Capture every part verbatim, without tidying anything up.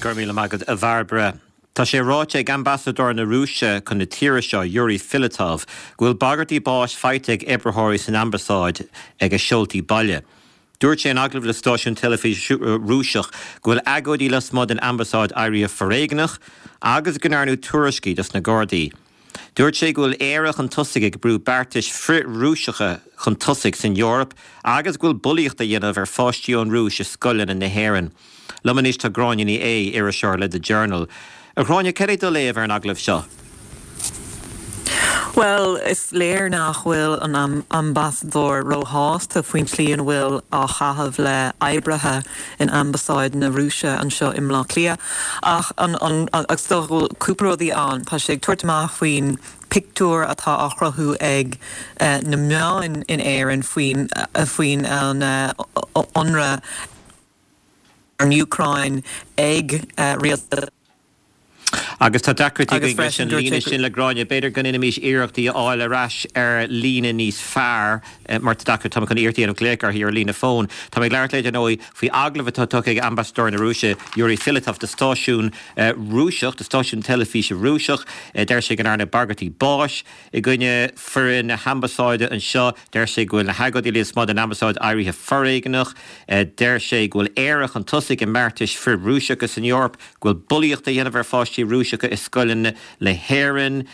Go raibh míle maith agat, a Bhairbre. Tá sé ráite ag ambasadóir na Rúise chun na tíre seo, Yuri Filatov, go bhfuil bagairtí báis faighte ag oibritheoirí san ambasáid ag a seoltaí baile. Dúirt sé in agallamh le stáisiún teilifíse Rúiseach go bhfuil agóidí lasmuigh den ambasáid éirithe foréigneach agus go ndearnadh tuairiscí dos na Gardaí. Dúirt sé go bhfuil Éire chun tosaigh ag brú beartais frith-Rúiseacha chun tosaigh san Eoraip agus go bhfuil bulaíocht á dhéanamh ar pháistí ón Rúis i scoileanna na hÉireann. Liom anois tá Gráinne Ní Aodha, iriseoir le The Journal. A Ghráinne, cad é do léamh ar an agallamh seo? Well, is léir nach bhfuil an ambasadóir róshásta faoin tslí ina bhfuil á chaitheamh le hoibrithe in ambasáid na Rúise anseo i mBleá Cliath. Ach an, an, agus dó cúpla rudaí ann, tá sé ag tabhairt amach faoin pictiúr atá á chruthú ag uh, na meáin in Éirinn faoin uh, faoin an uh, ionradh ar an Úcráin ag uh, rialtas Agus tá deacrachtaí againn leis an líne sin le Gráinne, b'fhéidir go ndéanfaimis iarracht í a fháil ar ais ar líne níos fearr mar tá deacair tá chun iarracht an glaoch ar ar líne fón. Tá ag labhairt le nóí faoi agallamh atá tugtha ag ambasadóir na Rúise Yuri Filatov do stáisiún Rúiseach, do stáisiún teilifíse Rúiseach, deir sé go ndearnadh bagairtí báis i gcoinne foireann na hambasáide anseo, deir sé go bhfuil na hagóidí lasmuigh den ambasáid éirithe foréigneach, deir sé go bhfuil Éire chun tosaigh i mbeartais frith-Rúiseacha san Eoraip, go bhfuil bulaíocht á dhéanamh ar pháistí Rúiseacha i scoileanna na hÉireann,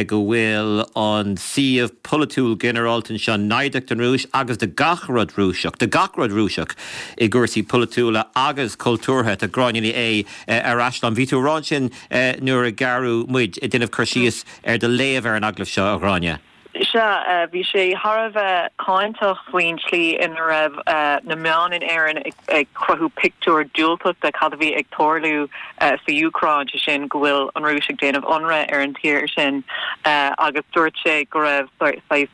go bhfuil an suíomh polaitiúil ginearálta anseo naimhdeach don Rúis agus do gach rud Rúiseach, do gach rud Rúiseach i gcúrsaí polaitiúla agus cultúrtha. Tá Gráinne Ní Aodha ar ais liom. Bhí tú ag rá ansin nuair a gearradh muid ag déanamh cur síos ar do léamh ar an agallamh seo, a Ghráinne. Sea, bhí sé thar a bheith cáinteach faoin tslí ina raibh na meáin in Éirinn ag cruthú pictiúr diúltach de cad a bhí ag tarlú sa Úcráin, sé sin go bhfuil an Rúis ag déanamh ionradh ar an tír sin agus dúirt sé go raibh saghas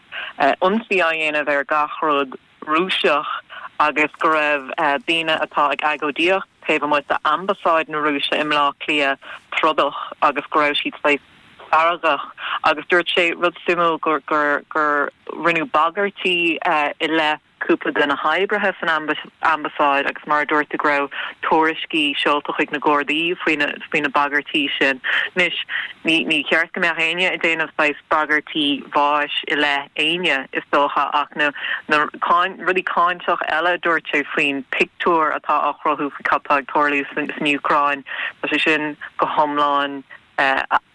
ionsaí á dhéanamh ar gach rud Rúiseach agus go raibh daoine atá ag agóidíocht taobh amuigh d'ambasáid na Rúise i mBleá Cliath trodach agus go raibh siad saghas feargach agus dúirt sé rud suimiúil gur gur gur rinneadh bagairtí i leith cúpla de na hoibrithe san ambasáid agus mar a dúirt go raibh tuairiscí seolta chuig na Gardaí faoi na faoi na bagairtí sin. Anois ní ní cheart go mbeadh éinne ag déanamh saghas bagairtí báis i leith éinne is dócha ach na na rudaí cáinteach eile dúirt sé faoin pictiúr atá á chruthú faoi cad tá ag tarlú san Úcráin Tá sé sin go hiomlán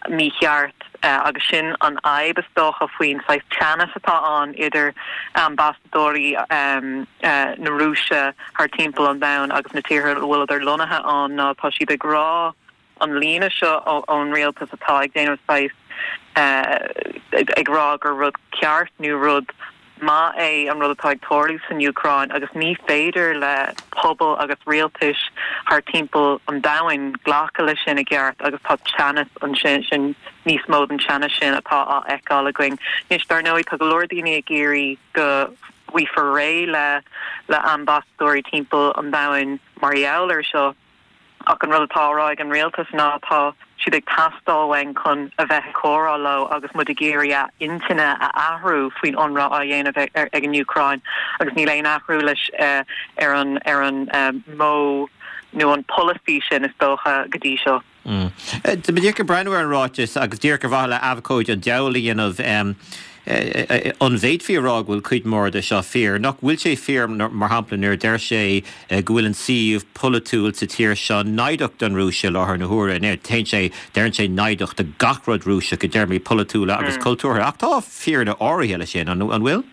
mícheart agus sin an fhadhb is dócha faoin saghas teannas atá ann idir ambasadóirí na Rúise thar timpeall an domhain agus na tíortha a bhfuil lonnaithe ann ná tá siad ag rá an líne seo ón rialtas atá ag déanamh saghas ag rá gur rud ceart nó rud maith é an rud atá ag tarlú san Úcráin agus ní féidir le pobal agus rialtais thar timpeall an domhain glacadh leis sin i gceart agus tá teannas ansin sin níos mó den teannas sin atá á fheiceáil againn. Anois dar ndóigh tá go leor daoine ag iarraidh go bhfaighfear réidh le le ambasadóirí timpeall an domhain mar gheall air seo. Ach an rud atá á rá ag an rialtas ná tá siad ag teastáil uainn chun a bheith ag comhrá leo agus muid ag iarraidh a n-intinne a athrú faoin ionradh á dhéanamh ag an Úcráin agus níl aon athrú leis ar an ar an modh nó an polasaí sin is dócha go dtí seo. Tá mé ag breathnú ar an ráiteas agus díreach ar mhaithe le abhcóid an diabhail a dhéanamh an bhféadfaí a rá go bhfuil cuid mhór de seo fíor, nach bhfuil sé fíor mar shampla nuair deir sé go bhfuil an suíomh polaitiúil sa tír seo naimhdeach don Rúis i láthair na huaire, téann sé deireann sé naimhdeach do gach rud Rúiseach i dtéarmaí polaitiúla agus cultúrtha, ach tá fírinne áirithe leis sin an an bhfuil?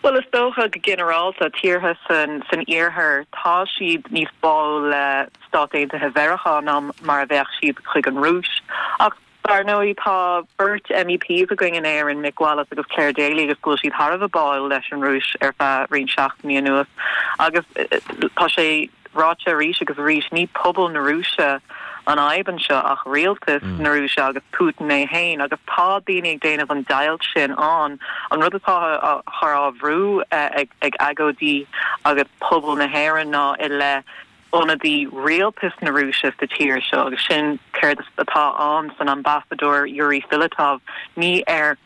Well is dócha go ginearálta tíortha san san iarthar tá siad níos báúla le Stáit Aontaithe Mheiriceá ná mar a bheadh siad chuig an Rúis. Ach dar ndóigh tá beirt M E Ps againn in Éirinn, Mick Wallace agus Clare Daly agus go bhfuil siad thar a bheith báúil leis an Rúis ar feadh roinnt seachtainí anuas. Agus tá sé ráite arís agus arís ní pobal na Rúise an fhadhb anseo ach rialtas na Rúise agus Putin é féin agus tá daoine ag déanamh an deighilt sin ann an rud atá á chur á bhrú ag ag agóidí agus pobal na hÉireann ná i leith ionadaí rialtas na Rúise sa tír seo agus sin céard atá ann san ambasadóir Yuri Filatov ní ar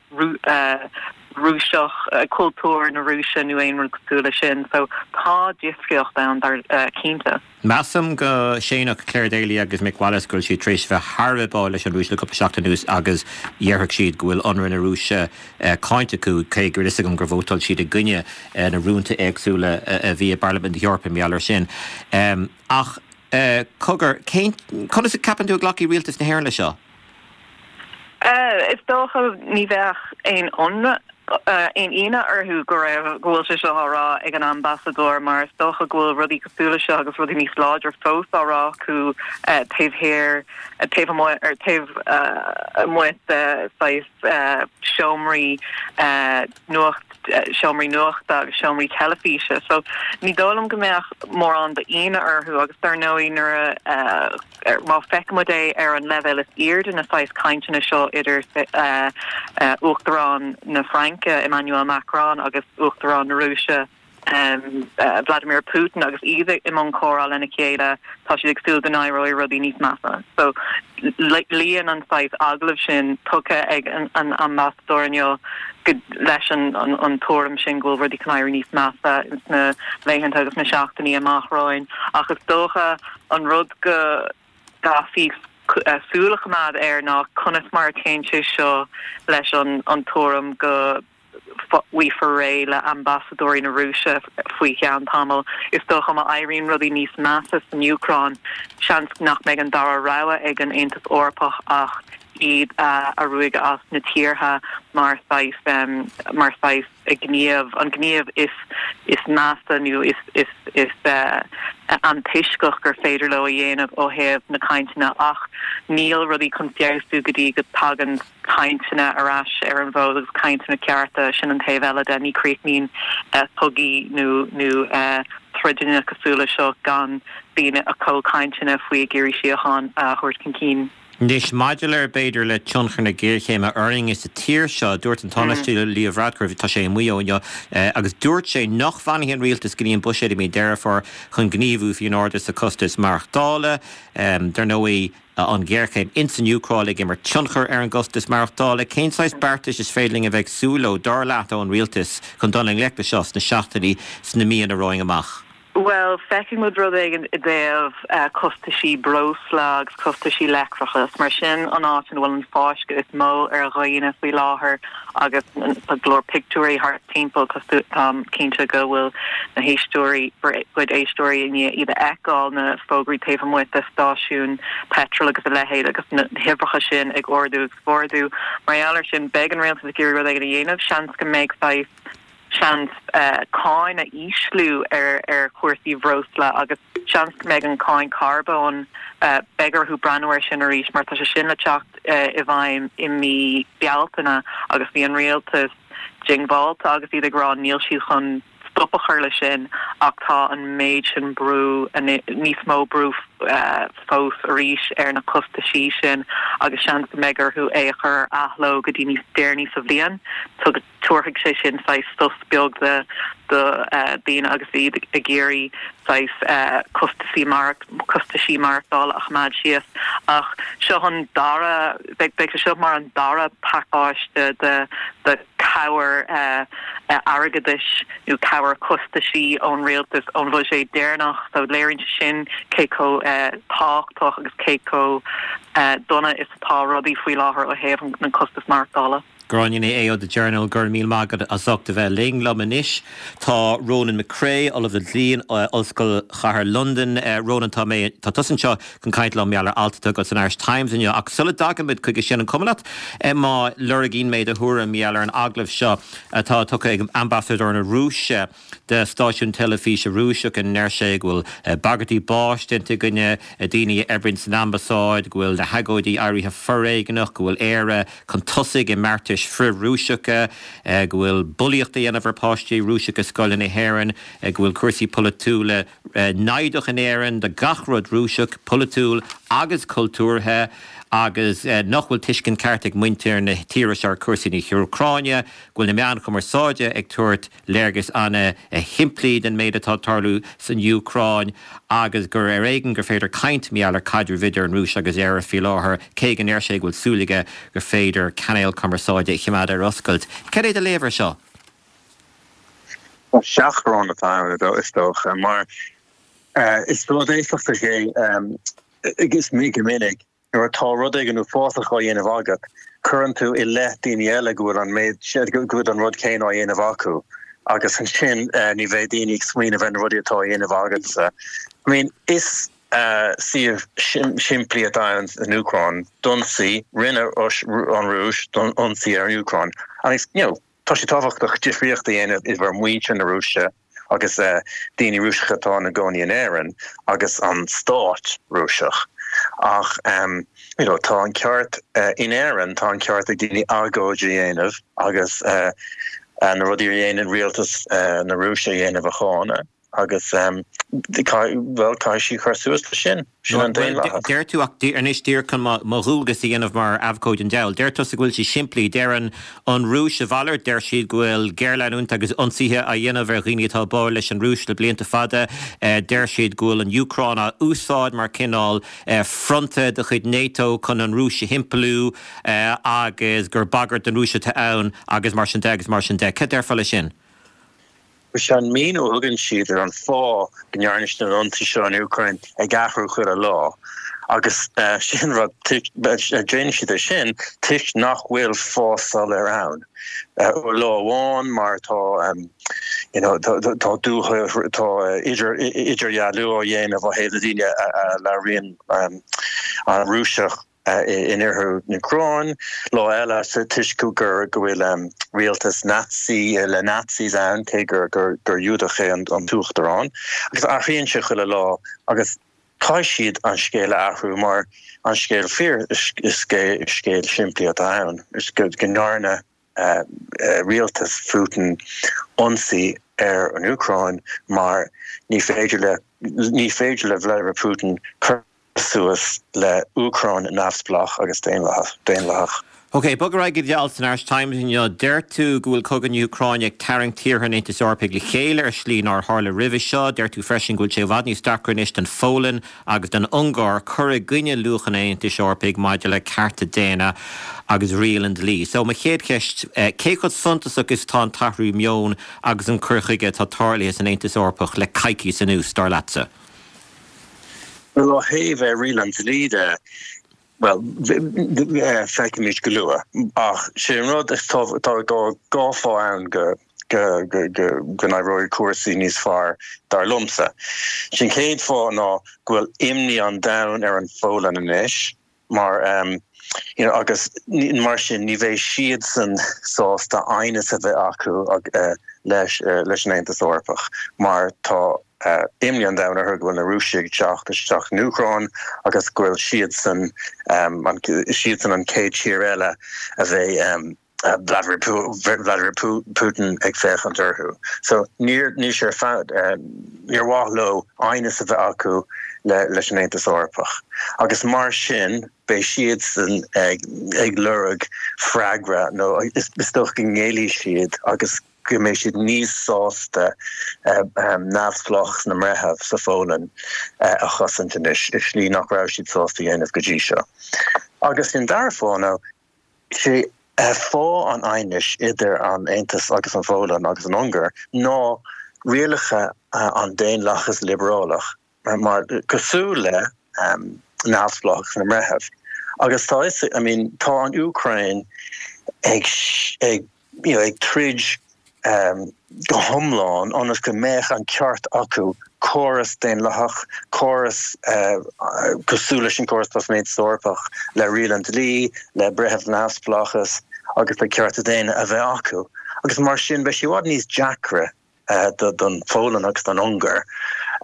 Rúiseach cultúr na Rúise nó aon rud cosúil leis sin so tá tá difríocht ann dar cinnte. Measaim go séanfadh Clare Daly agus Mick Wallace go bhfuil siad tar éis bheith thar a bheith báúil leis an Rúis le cúpla seachtain anuas agus déarfadh siad go bhfuil ionradh na Rúise cáinte acu, cé go bhfuil fhios agam gur vótáil siad i gcoinne na rúnta éagsúla a bhí i bParlaimint na hEorpa mar gheall air sin. Ach cogar, cén, conas a ceapann tú a ghlacfaidh rialtas na hÉireann leis seo? Is dócha ní bheadh aon ionadh aon ionadh orthu go raibh go bhfuil sé seo á rá ag an ambasadóir mar is dócha go bhfuil rudaí cosúil leis seo agus rudaí níos láidre fós á rá acu taobh thiar taobh amuigh ar taobh amuigh de saghas seomraí nuacht seomraí nuachta agus seomraí teilifíse. So ní dóigh liom go mbeadh mórán d'ionadh orthu agus dar ndóigh nuair a má feicimid é ar an leibhéal is airde na saghas cainteanna seo idir Uachtarán na Fraince Emmanuel Macron agus Uachtarán na Rúise Vladimir Putin agus iad i mbun comhrá lena chéile tá siad ag súil go n-éireoidh rudaí níos measa. So luíonn an saghas agallamh sin tugtha ag an ambasadóir inniu leis an an tuairim sin go bhfuil rudaí chun éirí níos measa sna laethanta agus na seachtainí amach romhainn. Ach is dócha an rud go gcaithfí súil a choimeád air ná conas mar a théann sé seo leis an an tuairim go bhfaighfear réidh le ambasadóirí na Rúise faoi cheann tamaill. Is dócha má éiríonn rudaí níos measa san Úcráin, seans nach mbeidh an dara rogha ag an Aontas Eorpach ach iad a ruaigeadh as na tíortha mar saghas mar saghas gníomh, an gníomh is is measa nó is is is antoisceach gur féidir leo a dhéanamh ó thaobh na cainteanna ach níl rudaí chun feabhsú go dtí go dtagann cainteanna ar ais ar an bhfód agus cainteanna cearta, sin an taobh eile de, ní chríochnaíonn cogaí nó nó troideanna cosúil leis seo gan daoine ag comhchainteanna faoi ag iarraidh síocháin a thabhairt chun cinn. Anois, maidir le, b'fhéidir, le tionchar na géarchéime orainn sa tír seo, dúirt an Tánaiste Leo Varadkar, tá sé amuigh ó inniu, agus dúirt sé nach bhfanfaidh an rialtas go dtí an buiséad i mí Deireadh Fómhair chun gníomhú faoin ardú sa chostas maireachtála. Dar ndóigh, an ghéarchéim ins an Úcráin ag imirt tionchar ar an gcostas maireachtála. Cén saghas beartais is féidir linn a bheith ag súil leo, dar leat, ón rialtas chun dul i ngleic le seo sna seachtainí, sna míonna romhainn amach? Bhuel, feicfidh muid rud éigin i dtaobh costaisí breosla agus costaisí leictreachais, mar sin an áit ina bhfuil an fáisceadh is mó ar dhaoine faoi láthair agus tá go leor pictiúirí thart timpeall, táim cinnte go bhfuil na héisteoirí, bhur gcuid éisteoirí i ndiaidh iad a fheiceáil, na fógraí taobh amuigh de stáisiúin peitril agus a leithéid agus na huimhreacha sin ag ardú agus ag ardú. Mar gheall air sin, beidh an rialtas ag iarraidh rud éigin a dhéanamh, seans go mbeidh saghas. seans cáin a ísliú ar ar chúrsaí bhreosla agus seans go mbeidh an cáin carbóin, beidh orthu breathnú air sin arís mar tá sé sin le teacht i bhfeidhm i mí Bealtaine agus bhí an rialtas diongbháilte agus iad ag rá níl siad chun stop a chur leis sin ach tá an méid sin brú, níos mó brú fós arís ar na costaisí sin agus seans go mbeidh orthu é a chur ar athló go dtí níos deireanaí sa bhliain. Tabharfaidh sé sin saghas sos beag do dhaoine agus iad ag iarraidh saghas costaisí costaisí maireachtála a choimeád síos. Ach seo an dara, beidh sé seo mar an dara pacáiste de de chabhair airgeadais nó cabhair costaisí ón rialtas ón bhuiséad deireanach so léiríonn sé sin cé chomh tábhachtach agus cé chomh dona is atá rudaí faoi láthair ó thaobh na costas maireachtála. Gráinne Ní Aodha ó The Journal, go raibh míle maith agat as ucht a bheith linn. Liom anois tá Ronan McCrea, Ollamh le Dlí in Ollscoil Chathair Londan. Ronan, tá mé, tá tusa anseo chun caint liom mar gheall ar alt atá agat san Irish Times inniu ach sula dtagaimid chuige sin, an cuma leat má lorgaíonn mé do thuairim mar gheall ar an agallamh seo atá tugtha ag Ambasadóir na Rúise do stáisiún teilifíse Rúiseach ina ndeir sé go bhfuil bagairtí báis déanta i gcoinne daoine a oibríonn san ambasáid, go bhfuil na hagóidí éirithe foréigneach, go bhfuil Éire chun tosaigh i mbeartais frith-Rúiseacha, go bhfuil bulaíocht á dhéanamh ar pháistí Rúiseacha i scoileanna na hÉireann, go bhfuil cúrsaí polaitiúla naimhdeach in Éirinn do gach rud Rúiseach, polaitiúil agus cultúrtha, agus nach bhfuil tuiscint ceart ag muintir na tíre seo ar chúrsaí na hÚcráine, go bhfuil na meáin chumarsáide ag tabhairt léargas an-shimplí den méid atá ag tarlú san Úcráin agus gur ar éigean gur féidir caint mar gheall ar chaidreamh idir an Rúis agus Éire faoi láthair, cé go ndeir sé go bhfuil súil aige gur féidir cainéal cumarsáide a choimeád ar oscailt. Cad é do léamh air seo? Seachrán atá ann is dócha mar is rud éifeachtach é agus mí go minic nuair atá rud éigin uafásach á dhéanamh agat, cuireann tú i leith daoine eile go bhfuil an méid go bhfuil an rud céanna á dhéanamh acu agus ansin ní bheidh daoine ag smaoineamh ar na rudaí atá á dhéanamh agatsa. I mean is suíomh simplí atá ann san Úcráin, d'ionsaigh, rinne an Rúis ionsaí ar an Úcráin agus you know tá sé tábhachtach difríocht a dhéanamh idir muintir na Rúise agus daoine Rúiseacha atá ina gcónaí in Éirinn agus an stát Rúiseach. Ach um, you know, tá an ceart uh, in Éirinn tá an ceart ag daoine agóid a dhéanamh agus uh, uh, na rudaí a dhéanann rialtas uh, na Rúise a dhéanamh a cháineadh agus um, well tá sí chur suas le sin sin an daonlathas. Deir tú ach anois díreach chun mo dhualgas a dhéanamh mar abhcóide an diabhail. Deir tusa go bhfuil sé simplí deir an Rúis a mhalairt, deir siad go bhfuil géarleanúint agus ionsaithe á dhéanamh ar dhaoine atá báúil leis an Rúis le blianta fada, deir siad go bhfuil an Úcráin á úsáid mar cineál fronta de chuid NATO chun an Rúis a thimpeallú agus gur bagairt don Rúis atá ann agus mar sin de agus mar sin de. Cad déarfá leis sin? Is é an míniú a thugann siad ar an fáth go ndearna siad an ionsaí seo an Úcráin ag athrú chuile lá. Agus sin rud déanann siad é sin toisc nach bhfuil fáth soiléir ann. Lá amháin mar tá you know, tá tá idir idirdhealú á dhéanamh ó thaobh na daoine a labhraíonn an Rúiseach in oirthear na hÚcráine, lá eile sa toisc gur go bhfuil rialtas Nazi le Nazis ann cé gur gur gur Giúdach é an t-uachtarán agus athraíonn sé chuile lá agus caithfidh siad an scéal a athrú mar an scéal fíor is scéal simplí atá ann is go go ndearna rialtas Putin ionsaí ar an Úcráin mar ní féidir le ní féidir le Vladimir Putin cur suas le Úcráin neamhspleách agus daonlathach. Ok, bog ar aghaidh go dtí alt san Irish Times inniu. Deir tú go bhfuil cogadh na hÚcráine ag tarraingt tíortha an Aontais Eorpaigh le chéile ar shlí nár tharla roimhe seo. Deir tú freisin go bhfuil sé i bhfad níos deacra anois don Pholainn agus don Ungáir cur i gcoinne luachanna an Aontais Eorpaigh maidir le cearta daonna agus riail an dlí. So mo chéad cheist, cé chomh suntasach is atá an t-athrú meoin agus an cur chuige atá tarlaithe san Aontas Eorpach le coicís anuas, dar leatsa? Well ó thaobh riail an dlí de, well feicfimid go luath ach sé an rud is tá dhá fáth ann go go go go go n-éireoidh cúrsaí níos fearr dar liomsa. Sin chéad fáth ná go bhfuil imní an domhain ar an Pholainn anois mar um, you know, agus mar sin ní bheidh siadsan sásta aighneas a bheith acu uh, leis uh, leis an Aontas Eorpach mar tá uh, imní an domhain orthu go bhfuil na Rúisigh ag teacht isteach san Úcráin agus go bhfuil siadsan um, an, siadsan an chéad tír eile a bheidh um, uh, Vladimir, Vladimir Putin ag féachaint orthu. So níor ní sé fad uh, níor mhaith leo aighneas a bheith acu le, leis an Aontas Eorpach. Agus mar sin beidh siadsan ag, ag lorg freagra nó is, is dócha go ngéillfidh siad agus go mbeidh siad níos sásta uh, um, neamhspleáchas na mbreitheamh sa Pholainn uh, a chosaint anois i slí nach raibh siad sásta dhéanamh go dtí seo. Agus an dara fáth ná sé uh, fáth an aighnis idir an Aontas agus an Pholainn agus an Ungáir ná rialacha uh, an daonlathas liobrálach mar cosúil le um, neamhspleáchas na mbreitheamh. Agus tá I mean, tá an Úcráin ag, ag, you know, ag troid um, go hiomlán ionas go mbeadh an ceart acu córas daonlathach, córas uh, cosúil leis an córas san Aontas Eorpach le riail an dlí, le breitheamh neamhspleáchas agus le cearta daonna a bheith acu. Agus mar sin beidh sé i bhfad níos deacra uh, don Pholainn agus don Ungáir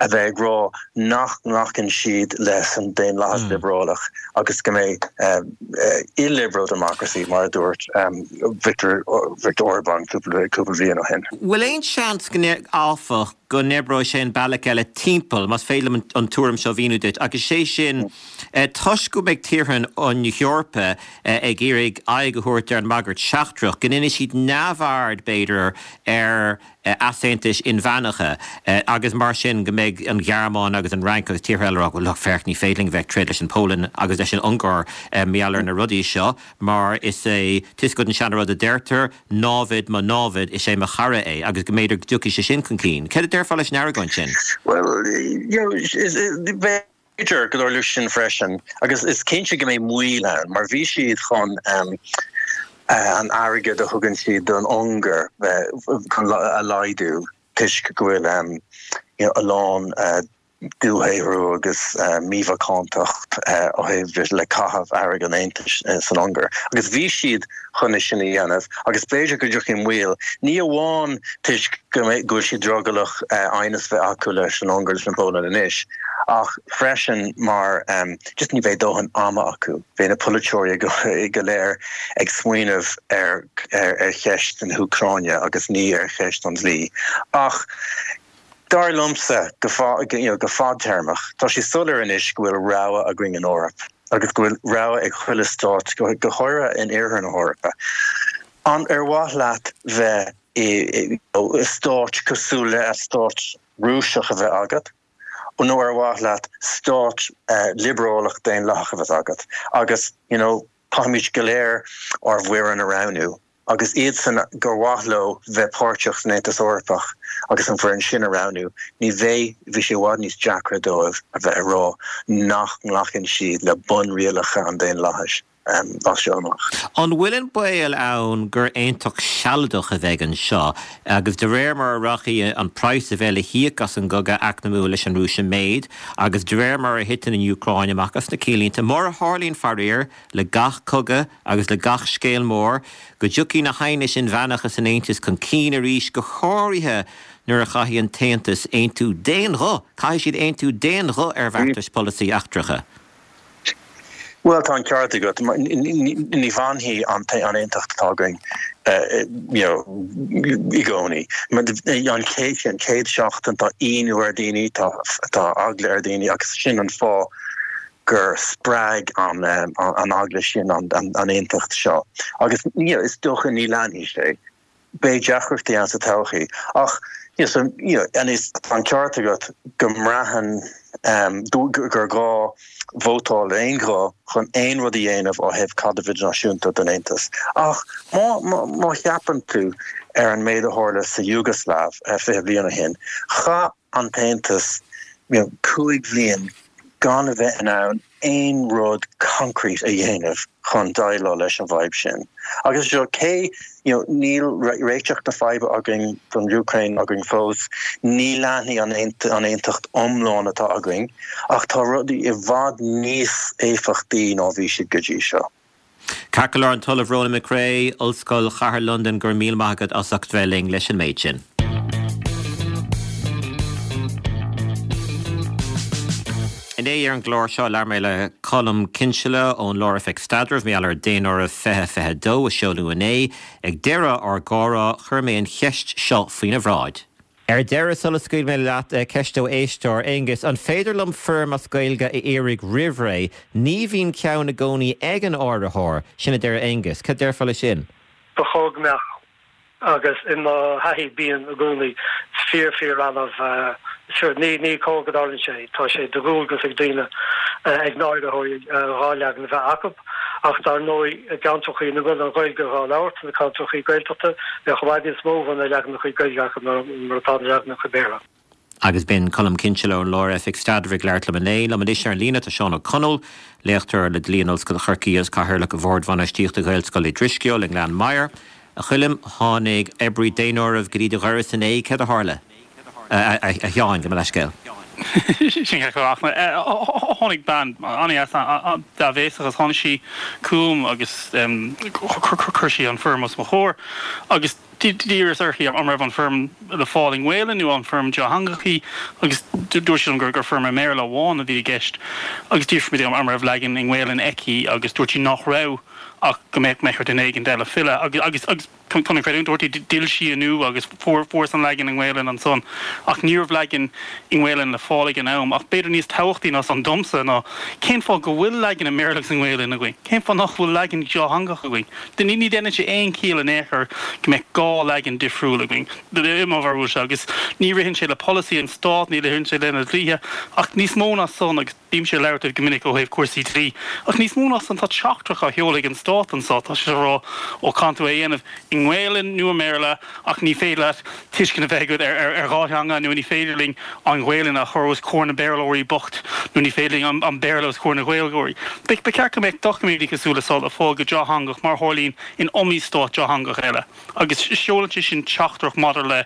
a bheith ag rá nach nglacann siad leis an daonlathas mm. liobrálach agus go mbeidh uh, uh, illiberal democracy mar a dúirt um, Viktor, Viktor Orbán cúpla bliain ó shin. Bhfuil aon seans áfach go n-oibreoidh sé an bealach eile timpeall más féidir an tuairim seo a mhíniú duit agus sé sin mm. toisc go mbeidh tíortha an Eorpa ag iarraidh aghaidh a thabhairt ar an mbagairt sheachtrach, go ndéanfaidh siad neamhaird b'fhéidir ar easaontais inmheánacha agus mar sin go mbeidh an Ghearmáin agus an Fhrainc agus tíortha eile ag rá, well look, féach, ní féidir linn a bheith ag troid leis an Pholainn agus leis an Ungáir mar gheall ar na rudaí seo mar is é, tá 'fhios agat an seanrud a deirtear, námhaid mo námhad, is é mo chara é agus go mb'fhéidir go dtiocfaidh sé sin chun cinn. Céard a déarfá leis an argóint sin? Well, you know, b'fhéidir go dtarlódh sin freisin agus is cinnte go mbeidh moill ann mar bhí siad chun an airgead a thugann siad don Ungáir chun a laghdú toisc go bhfuil you know, a lán dúshaothrú agus mímhacántacht ó thaobh le caitheamh airgead an Aontais san Ungáir. Agus bhí siad chun é sin a dhéanamh agus b'fhéidir go dtiocfaidh moill, ní amháin toisc go bhfuil siad drogallach aighneas bheith acu leis an Ungáir leis an bPolainn anois, ach freisin mar just ní bheidh dóthain ama acu. Beidh na polaiteoirí go léir ag smaoineamh ar ar cheist na hÚcráine agus ní ar cheist an dlí. Ach dar liomsa go go fadtéarmach, tá sé soiléir anois go bhfuil rogha againn in Eoraip agus go bhfuil rogha ag chuile stát, go háirithe in iarthar na hEorpa. An ar mhaith leat bheith i stát cosúil le stát Rúiseach a bheith agat, nó ar mhaith leat stát liobrálach daonlathach a bheith agat? Agus you know, caithfimid go léir ár bhfoireann a roghnú. agus iadsan gur mhaith leo bheith páirteach san Aontas Eorpach agus an foireann sin a roghnú, ní bheidh, bhí sé i bhfad níos deacra dóibh a bheith ag rá nach nglacann siad le bunrialacha an daonlathais as seo amach. An bhfuil an baol ann gur aontacht sealadach a bheidh anseo agus de réir mar a rachaidh an praghas a bheidh le híoc as an gcogadh eacnamúil leis an Rúis i méid agus de réir mar a thiteann an Úcráin amach as na cinnlínte, mar a tharlaíonn faraor le gach cogadh agus le gach scéal mór, go dtiocfaidh na haighnis inmheánacha san Aontas chun cinn arís, go háirithe nuair a chaithfidh an tAontas aontú d'aon ghuth, caithfidh siad aontú d'aon ghuth ar bheartais polasaí eachtracha. Bhuel, tá an ceart agat. Ní fhanfaidh an aontacht atá againn you know, i gcónaí. An chéad an chéad seachtain tá ionadh ar daoine, tá tá eagla ar daoine agus sin an fáth gur spreag an an eagla sin an aontacht seo. Agus you know, is dócha ní leanfaidh sé. Beidh deacrachtaí ann sa todhchaí. Ach you know, so, you know, and is tá an ceart agat go mbraitheann um, gur gá vótáil aon ghuth chun aon rud a dhéanamh ó thaobh caidreamh idirnáisiúnta den Aontas. Ach má, má, má cheapann tú ar an méid a tharla sa Iúgaslaiv uh, fiche bliain ó shin, chaith an tAontas you know, cúig bhliain gan a bheith in ann aon rud concrete a dhéanamh chun déileáil leis an bhfadhb sin. Agus seo cé you know, níl réiteach na faidhbe againn don Úcráin againn fós, ní leanfaidh an an aontacht iomlán atá againn, ach tá rudaí i bhfad níos éifeachtaí ná bhí siad go dtí seo. Ceart go leor an tOllamh Ronan McCrea, Ollscoil Chathair Londain, go raibh míle maith agat as ucht bheith linn leis an méid sin. Inné ar an gclár seo labhair mé le Colm Kinsella ón Lár-Oifig Staidrimh mar gheall ar Daonáireamh fiche fiche dó a seoladh inné. Ag deireadh ár gcomhrá chuir mé an cheist seo faoina bhráid. Ar deireadh, sula scaoilfidh mé leat, ceist ó éisteoir, Aonghus, an féidir liom foirm as Gaeilge a iarraidh roimh ré? Ní bhíonn ceann i gcónaí ag an áiritheoir. Sin a deir Aonghus. Cad déarfá leis sin? Ba chóir go mbeadh, agus i mo thaithí bíonn i gcónaí. Is fíor fíor annamh. Sure, ní ní cóir go dtarlaíonn sé. Tá sé de dhualgas ag daoine, ag na háiritheoirí dhá leagan a bheith acu. Ach dar ndóigh, i gceantracha ina bhfuil an Ghaeilge dhá labhairt, na ceantracha Gaeltachta, bheadh i bhfad níos mó de na leaganacha Gaeilge acu ná mar atá na leaganacha Béarla. Agus b'in Colm Kinsella ón Lár-Oifig Staidrimh ag labhairt liom inné. Liom anois ar an líne tá Seán Ó Conaill, léachtóir le Dlí in Ollscoil Chorcaí agus Cathaoirleach Bhord Bhainistíochta Ghaelscoil Uí Drisceoil i nGleann Maghair. A Choilm, tháinig oibrí daonáirimh go dtí do dhoras inné, céard a tharla? A Sheáin, gabh mo leithscéal. Sin ceart go leor. Tháinig bean an-dheas, dea-bhéasach agus tháinig sí chugam agus chuir sí an foirm os mo chomhair agus d'iarras uirthi an raibh an foirm le fáil i nGaelainn nó an foirm dátheangach í agus dúirt sí liom gur foirm i mBéarla amháin a bhí i gceist agus d'fhiafraigh mé di an raibh leagan i nGaelainn aici agus dúirt sí nach raibh. ach go mbeadh mbeadh ar duine éigin eile filleadh agus agus agus chun an chreidiúint a thabhairt di d'fhill sí inniu agus fuair fuarthas an leagan i nGaelainn ansan ach ní raibh leagan i nGaelainn le fáil ag an am ach b'fhéidir níos tábhachtaí ná san domsa ná cén fáth go bhfuil leagan i mBéarla agus i nGaelainn againn? Cén fáth nach bhfuil leagan dátheangach againn? Ní ní dhéanann sé aon chiall in aon chor go mbeadh dhá leagan difriúil againn i mo bharúilse agus ní ritheann sé le polasaí an Stáit, ní ritheann sé lena dhlíthe ach níos mó ná san agus bímse ag labhairt go minic ó thaobh cúrsaí dlí ach níos mó ná san tá teachtaireacht á sheoladh ag an Stát anseo, tá sé ag rá ó caithfidh tú é a dhéanamh i nGaelainn nó i mBéarla ach ní féidir leat tuiscint a bheith agat ar ar dhá theanga nó ní féidir linn an Ghaelainn a chur os comhair na Béarlóirí bocht nó ní féidir linn an Béarla os comhair na Gaeilgeoirí. Ba cheart go mbeadh doiciméidí cosúil le seo le fáil go dátheangach mar a tharlaíonn in iomaí stát dátheangach eile agus seolann sé sin teachtaireacht maidir le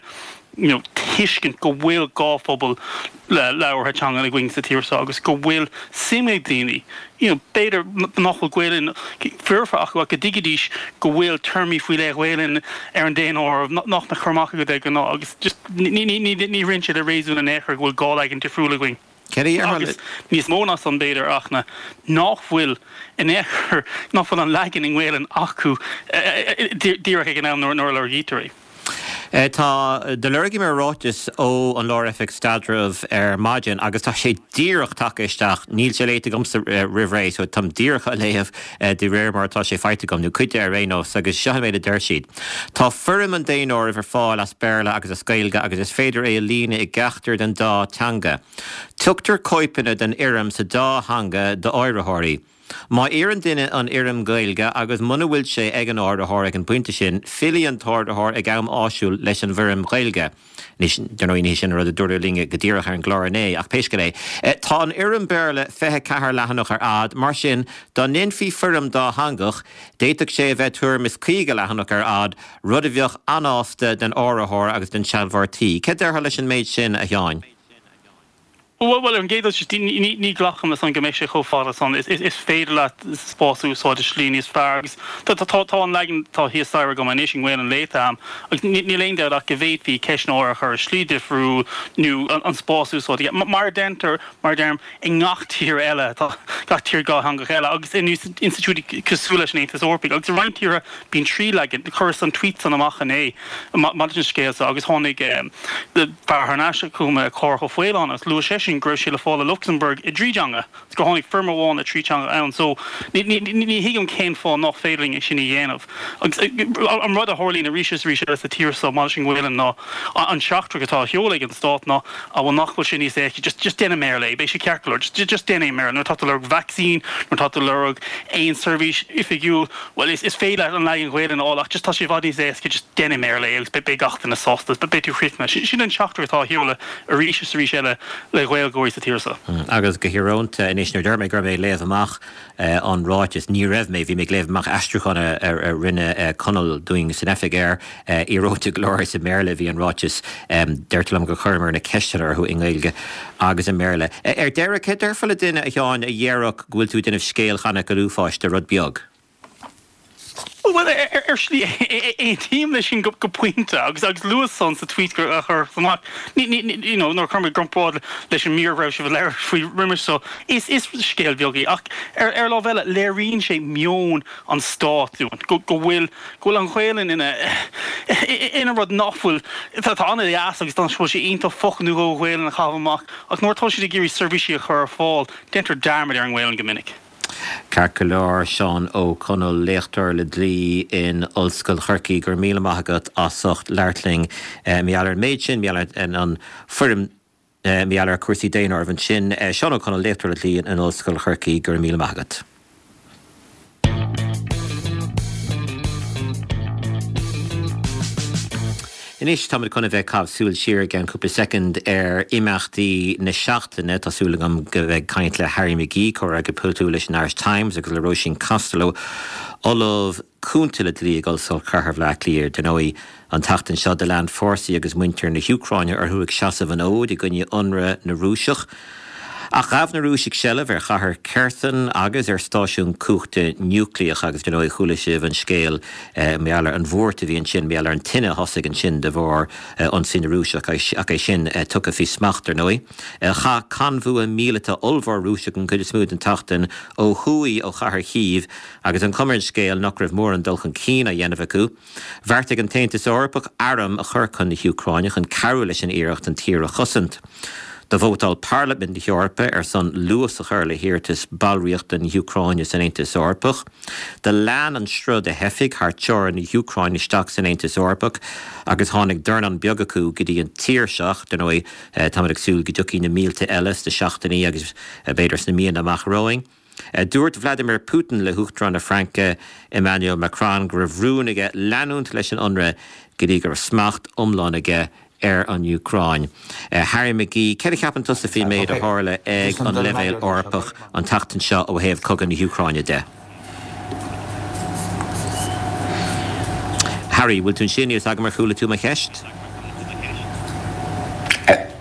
you know, tuiscint go bhfuil dhá phobal le labhartha teangan againn sa tír seo agus go bhfuil suim ag daoine, you know, b'fhéidir nach bhfuil Gaelainn foirfe acu ach go dtuigfidís go bhfuil téarmaí faoi leith Ghaelainn ar an daonáireamh nach mbeadh cur amach agat de ghnáth agus just ní ní ní ní ritheann sé le réasún in aon chor go bhfuil dhá leagan difriúil againn. Céard a déarfá le. Agus níos mó ná san b'fhéidir ach ná nach bhfuil in aon chor, nach bhfuil an leagan i nGaelainn acu díreach ag an am nuair a lorgaítear é. Tá, do lorgaigh mé ráiteas ó an Lár-Oifig Staidrimh ar maidin agus tá sé díreach tagtha isteach. Níl sé léite agamsa roimh ré so táim díreach á léamh de réir mar atá sé faighte agam, nó cuid de ar aon nós, agus seo an méid a deir siad. Tá foirm an daonáirimh ar fáil as Béarla agus as Gaeilge agus is féidir é a líonadh i gceachtar den dá teanga. Tugtar cóipeanna den fhoirm sa dá theanga d'áiritheoirí. Má iarrann duine an fhoirm Ghaeilge agus muna bhfuil sé ag an áiritheoir ag an bpointe sin, fillfidh an t-áiritheoir ag am áisiúil leis an bhfoirm Ghaeilge. Anois, dar ndóigh, ní hé sin an rud a dúradh linn go díreach ar an gclár inné, ach pé scéal é. Tá an fhoirm Béarla fiche ceathair leathanach ar fhad, mar sin, dá ndéanfaí foirm dátheangach, d'fhéadfadh sé a bheith tuairim is caoga leathanach ar fhad, rud a bheadh anásta don áiritheoir agus don sealbhóir tí. Céard déarfá leis an méid sin, a Sheáin? Bhuel, ar an gcéad dul síos, ní ghlacaim leis san go mbeidh sé chomh fada san. Is féidir leat spás a úsáid i slí níos fearr agus tá an leagan atá thíos staighre agam anois i nGaelainn léite agam agus níl aon dabht ach go bhféadfaí ceistneoir a chur i slí difriúil nó an spás a úsáid mar a deintear, mar a deirim, i ngach tír eile, tá gach tír dhátheangach eile agus in institiúidí cosúil leis an Aontas Eorpaigh agus i roinnt tíortha bíonn trí leagan. Chuireas an tweet san amach inné maidir leis an scéal seo agus tháinig fear thar n-ais chugam, Cárthach Ó Faoláin, agus luaigh seisean go raibh sé le fáil i Lucsamburg i dtrí dteanga agus gur tháinig foirm amháin le trí teanga ann. So ní thuigim cén fáth nach féidir linn é sin a dhéanamh. Agus an rud a tharlaíonn arís is arís eile sa tír seo maidir leis an nGaelainn ná an teachtaireacht atá á sheoladh ag an stát ná ah bhuel nach bhfuil sé níos éasca just just déan i mBéarla é, beidh sé ceart go leor, just just déan é i mBéarla. Nuair atá tú ag lorg vacsaín, nuair atá tú ag lorg aon seirbhís oifigiúil, bhuel is is féidir leat an leagan Ghaelainn a fháil ach just tá sé i bhfad níos éasca just déan i mBéarla é agus beidh gach duine sásta, beidh tú críochnaithe. Sin an teachtaireacht atá á sheoladh arís is arís eile le Gaeilgeoirí sa tír seo. Agus go híorónta anois, nuair a deir mé go raibh mé ag léamh amach an ráiteas, ní raibh mé, bhí mé ag léamh amach aistriúchán a rinne Conall dúinn san oifig air, íorónta go leor is i mBéarla a bhí an ráiteas. Deirtear liom gur chuireamar na ceisteanna orthu i nGaeilge agus i mBéarla. Ar deireadh, céard a déarfá le duine, a Sheáin, a dhéarfadh go bhfuil tú ag déanamh scéal cheana go uafáis de rud beag? Bhuel, ar shlí, aontaím leis sin go pointe agus agus luas san sa tweet a chuireas amach. You know, nuair a chuir mé i gcomparáid leis an mír a raibh sibh ag labhairt faoi roimis seo, is is scéal beag é ach ar ar lámh eile léiríonn sé meon an stáit dúinn, go go bhfuil go bhfuil an Ghaelainn ina ina rud nach bhfuil, tá an-deas agus tá sé iontach focal nó dhó Ghaelainn a chaitheamh amach ach nuair atá siad ag iarraidh seirbhísí a chur ar fáil, déantar dearmad ar an nGaelainn go minic. Ceart go leor, Seán Ó Conaill, léachtóir le dlí in Ollscoil Chorcaí, go raibh míle maith agat as ucht labhairt linn mar gheall ar an méid sin, mar gheall ar an foirm, mar gheall ar chúrsaí daonáirimh ansin. Seán Ó Conaill, léachtóir le dlí in Ollscoil Chorcaí, go raibh míle maith agat. Anois táimid chun a bheith ag caitheamh súil siar i gceann cúpla soicind ar imeachtaí na seachtaine. Tá súil agam go mbeidh caint le Harry McGee, comhfhreagraí polaitiúil leis an Irish Times agus le Róisín Costello, Ollamh Cúnta le Dlí ag Ollscoil Chathair Bhaile Átha Cliath. Dar ndóigh, an tseachtain seo do lean fórsaí agus muintir na hÚcráine orthu ag seasamh an fhóid i gcoinne ionradh na Rúiseach. Ach ghabh na Rúisigh seilbh ar chathair Kherson agus ar stáisiún cumhachta núicléach agus dar ndóigh chuala sibh an scéal mar gheall ar an bhuairt a bhí ansin, mar gheall ar an tine a thosaigh ansin de bharr ionsaí na Rúiseach ach é sin tugtha faoi smacht ar ndóigh. Chaith conbhua míleata ollmhór Rúiseach an chuid is mó den tseachtain ó thuaidh ó chathair Chív agus an chuma ar an scéal nach raibh mórán dul chun cinn á dhéanamh acu. Bheartaigh an tAontas Eorpach airm a chur chun na hÚcráine chun cabhrú leis an iarracht an tír a chosaint. Do vótáil Parlaimint na hEorpa ar son luas a chur le hiarratas ballraíochta na hÚcráine san Aontas Eorpach. Do lean an sruth de theifigh thar teorainn na hÚcráine isteach san Aontas Eorpach agus tháinig dornán beag acu go dtí an tír seo. Dar ndóigh, táimid ag súil go dtiocfaidh na mílte eile sna seachtainí agus b'fhéidir sna míonna amach romhainn. Dúirt Vladimir Putin le hUachtarán na Fraince Emmanuel Macron go raibh rún aige leanúint leis an ionradh go dtí go raibh smacht iomlán aige ar an Úcráin. Harry McGee, céard a cheapann tusa faoin méid a tharla ag an leibhéal Eorpach an tseachtain seo ó thaobh cogadh na hÚcráine de? Harry, bhfuil tú ansin? Níl a fhios agam ar chuala tú mo cheist?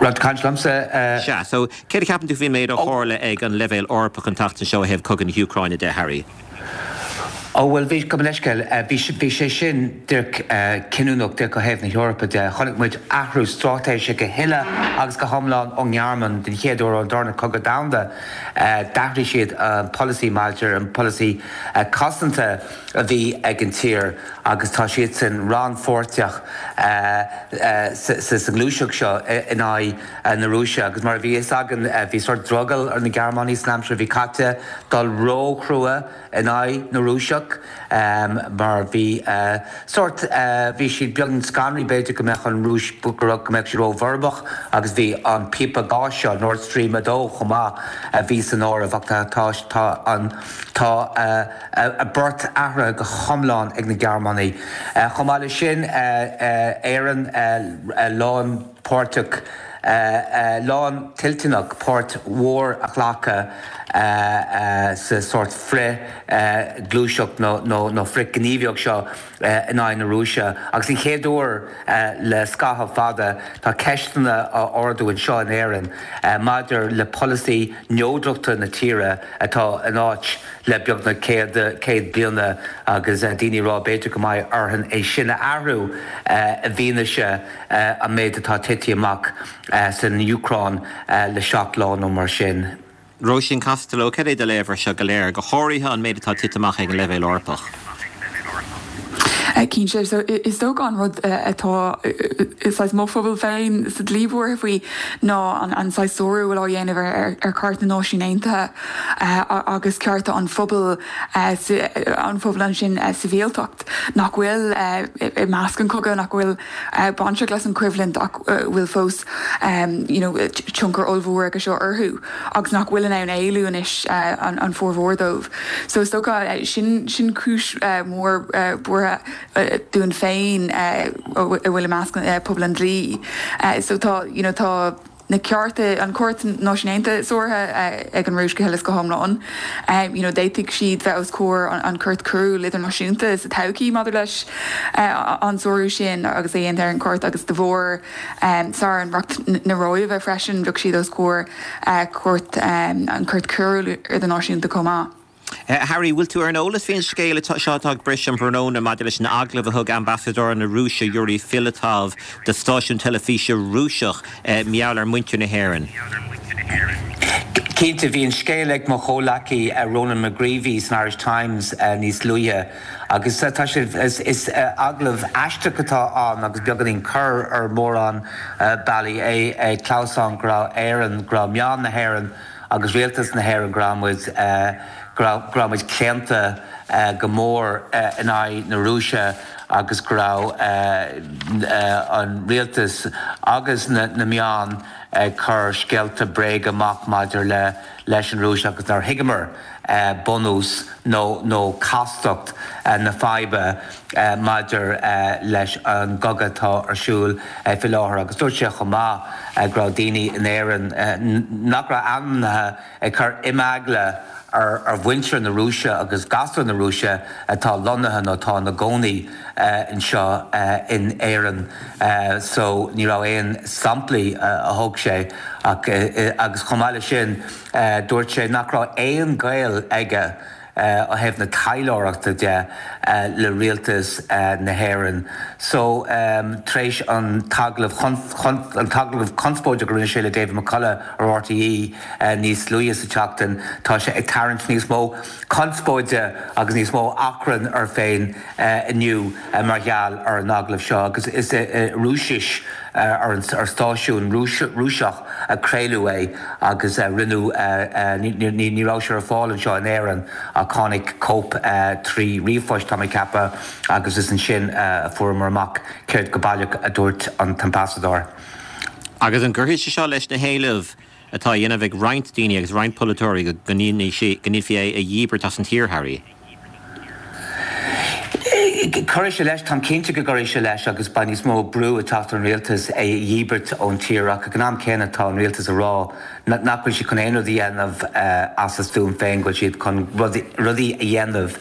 Raibh tú ag caint liomsa? Sea, so céard a cheapann tú faoin méid a tharla ag an leibhéal Eorpach an tseachtain seo ó thaobh cogadh na hÚcráine de, Harry? Ó bhuel, bhí, gabh mo leithscéal, bhí, bhí sé sin díreach cinniúnach díreach ó thaobh na hEorpa de. Chonaic muid athrú straitéise go huile agus go hiomlán ón nGearmáin den chéad uair ón Darna Cogadh Domhanda. D'athraigh siad an polasaí maidir, an polasaí cosanta a bhí ag an tír agus tá siadsan rannpháirteach sa ngluaiseacht seo in aghaidh na Rúise. Agus mar a bhí fhios againn, bhí sórt drogall ar na Gearmánaigh san aimsir a bhí caite dul ró-chrua in aghaidh na Rúiseach mar bhí sórt, bhí siad beagnach scanraithe b'fhéidir go mbeadh an Rúis, go raibh, go mbeadh siad ró-bhorbach agus bhí an píopa gáis seo, Nord Stream a dó chomh maith a bhí san áireamh ach tá, tá, tá an, tá a bport athraithe go hiomlán ag na Gearmánaigh. Chomh maith leis sin, Éirinn lánpháirteach, lántoilteanach páirt mhór a ghlacadh sa sórt frith-ghluaiseacht nó frith-ghníomhaíocht seo in aghaidh na Rúise. Agus an chéad uair le scaitheamh fada tá ceisteanna á ardú anseo in Éirinn maidir le polasaí neodrachta na tíre atá in áit le beagnach céad céad bliana agus daoine ag rá b'fhéidir go mbeidh orainn é sin a athrú i bhfianaise an méid atá tite amach san Úcráin le seacht lá nó mar sin. Róisín Costello, Cad é do léamh air seo go léir, go háirithe an méid atá tite amach ag an leibhéal Eorpach? Cinnte, so is dócha an rud atá saghas mo phobal féin sa dlí buartha faoi ná an saghas sárú a bhfuil á dhéanamh ar Chairt na Náisiún Aontaithe agus cearta an phobail, an phobail ansin sibhialtacht nach bhfuil i measc an chogaidh, nach bhfuil bainteach leis an choimhlint ach bhfuil fós you know tionchar ollmhór aige seo orthu agus nach bhfuil in ann éalú anois an formhór dóibh. So is dócha sin sin cúis mhór buartha dúinn féin a bhfuil i measc pobal an dlí. So tá you know tá na cearta, an Chúirt Náisiún Aontaithe sáraithe ag an Rúis go huile is go hiomlán. You know d'fhéadfadh siad bheith os comhair an Chúirt Choiriúil Idirnáisiúnta sa todhchaí maidir leis an sárú sin agus é dhéanta ar an gCúirt agus de bharr sár-ionradh na Róimhe freisin bheadh siad os comhair Chúirt an Chúirt Choiriúil Idirnáisiúnta chomh maith. Harry, bhfuil tú ar an eolas faoin scéal seo atá ag briseadh um thráthnóna maidir leis an agallamh a thug ambasadóir na Rúise Yuri Filatov do stáisiún teilifíse Rúiseach mar gheall ar mhuintir na hÉireann? Cinnte, bhí an scéal ag mo chomhleacaí Ronan McGreevy san Irish Times níos luaithe agus tá sé, is agallamh aisteach atá ann agus beagáinín corr ar mhórán bealaí, é ag clamhsán go raibh Éirinn, go raibh meáin na hÉireann agus rialtas na hÉireann go raibh muid, go raibh, go raibh muid claonta go mór in aghaidh na Rúise agus go raibh an rialtas agus na meáin ag cur scéalta bréige amach maidir le, leis an Rúis agus nár thuigeamar bunús nó nó castacht na faidhbe maidir leis an gcogadh atá ar siúl faoi láthair. Agus dúirt sé chomh maith go raibh daoine in Éirinn nach raibh ainmnithe ag cur imeagla ar ar mhuintir na Rúise agus gasúir na Rúise atá lonnaithe nó atá ina gcónaí anseo in Éirinn. So ní raibh aon samplaí a thug sé ach agus chomh maith leis sin dúirt sé nach raibh aon ghaol aige ó thaobh na taidhleoireachta de le rialtas na hÉireann. So tar éis an t-agallamh an t-agallamh conspóideach a rinne sé le David McCullough ar RTÉ níos luaithe sa tseachtain, tá sé ag tarraingt níos mó conspóide agus níos mó achrainn air féin inniu mar gheall ar an agallamh seo agus is i Rúisis ar an ar stáisiún Rúiseach a craoladh é agus rinneadh ní raibh sé ar fáil anseo in Éirinn ach tháinig cóip trí ríomhphost tá mé ag ceapadh agus is ansin a fuaireamar amach céard go baileach a dúirt an t-ambasadóir. Agus an gcuirfidh sé seo leis na héilimh atá á dhéanamh ag roinnt daoine agus roinnt polaiteoirí go ndéanfaí é a dhíbirt as an tír, Harry? Cuirfidh sé leis, táim cinnte go gcuirfidh sé leis agus beidh níos mó brú ag teacht ar an rialtas é a dhíbirt ón tír ach ag an am céanna tá an rialtas ag rá nach bhfuil siad chun aon rud a dhéanamh as a stuaim féin, go bhfuil siad chun rudaí a dhéanamh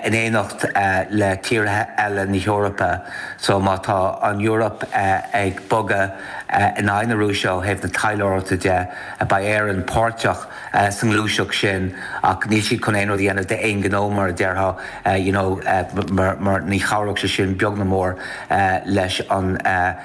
in éineacht le tíortha eile na hEorpa. So má tá an Eoraip ag bogadh in aghaidh na Rúise ó thaobh na taidhleoireachta de, beidh Éirinn páirteach sa ngluaiseacht sin ach níl siad chun aon rud a dhéanamh d'aon ghnó mar a déarfá you know mar mar ní chabhródh sé sin beag ná mór leis an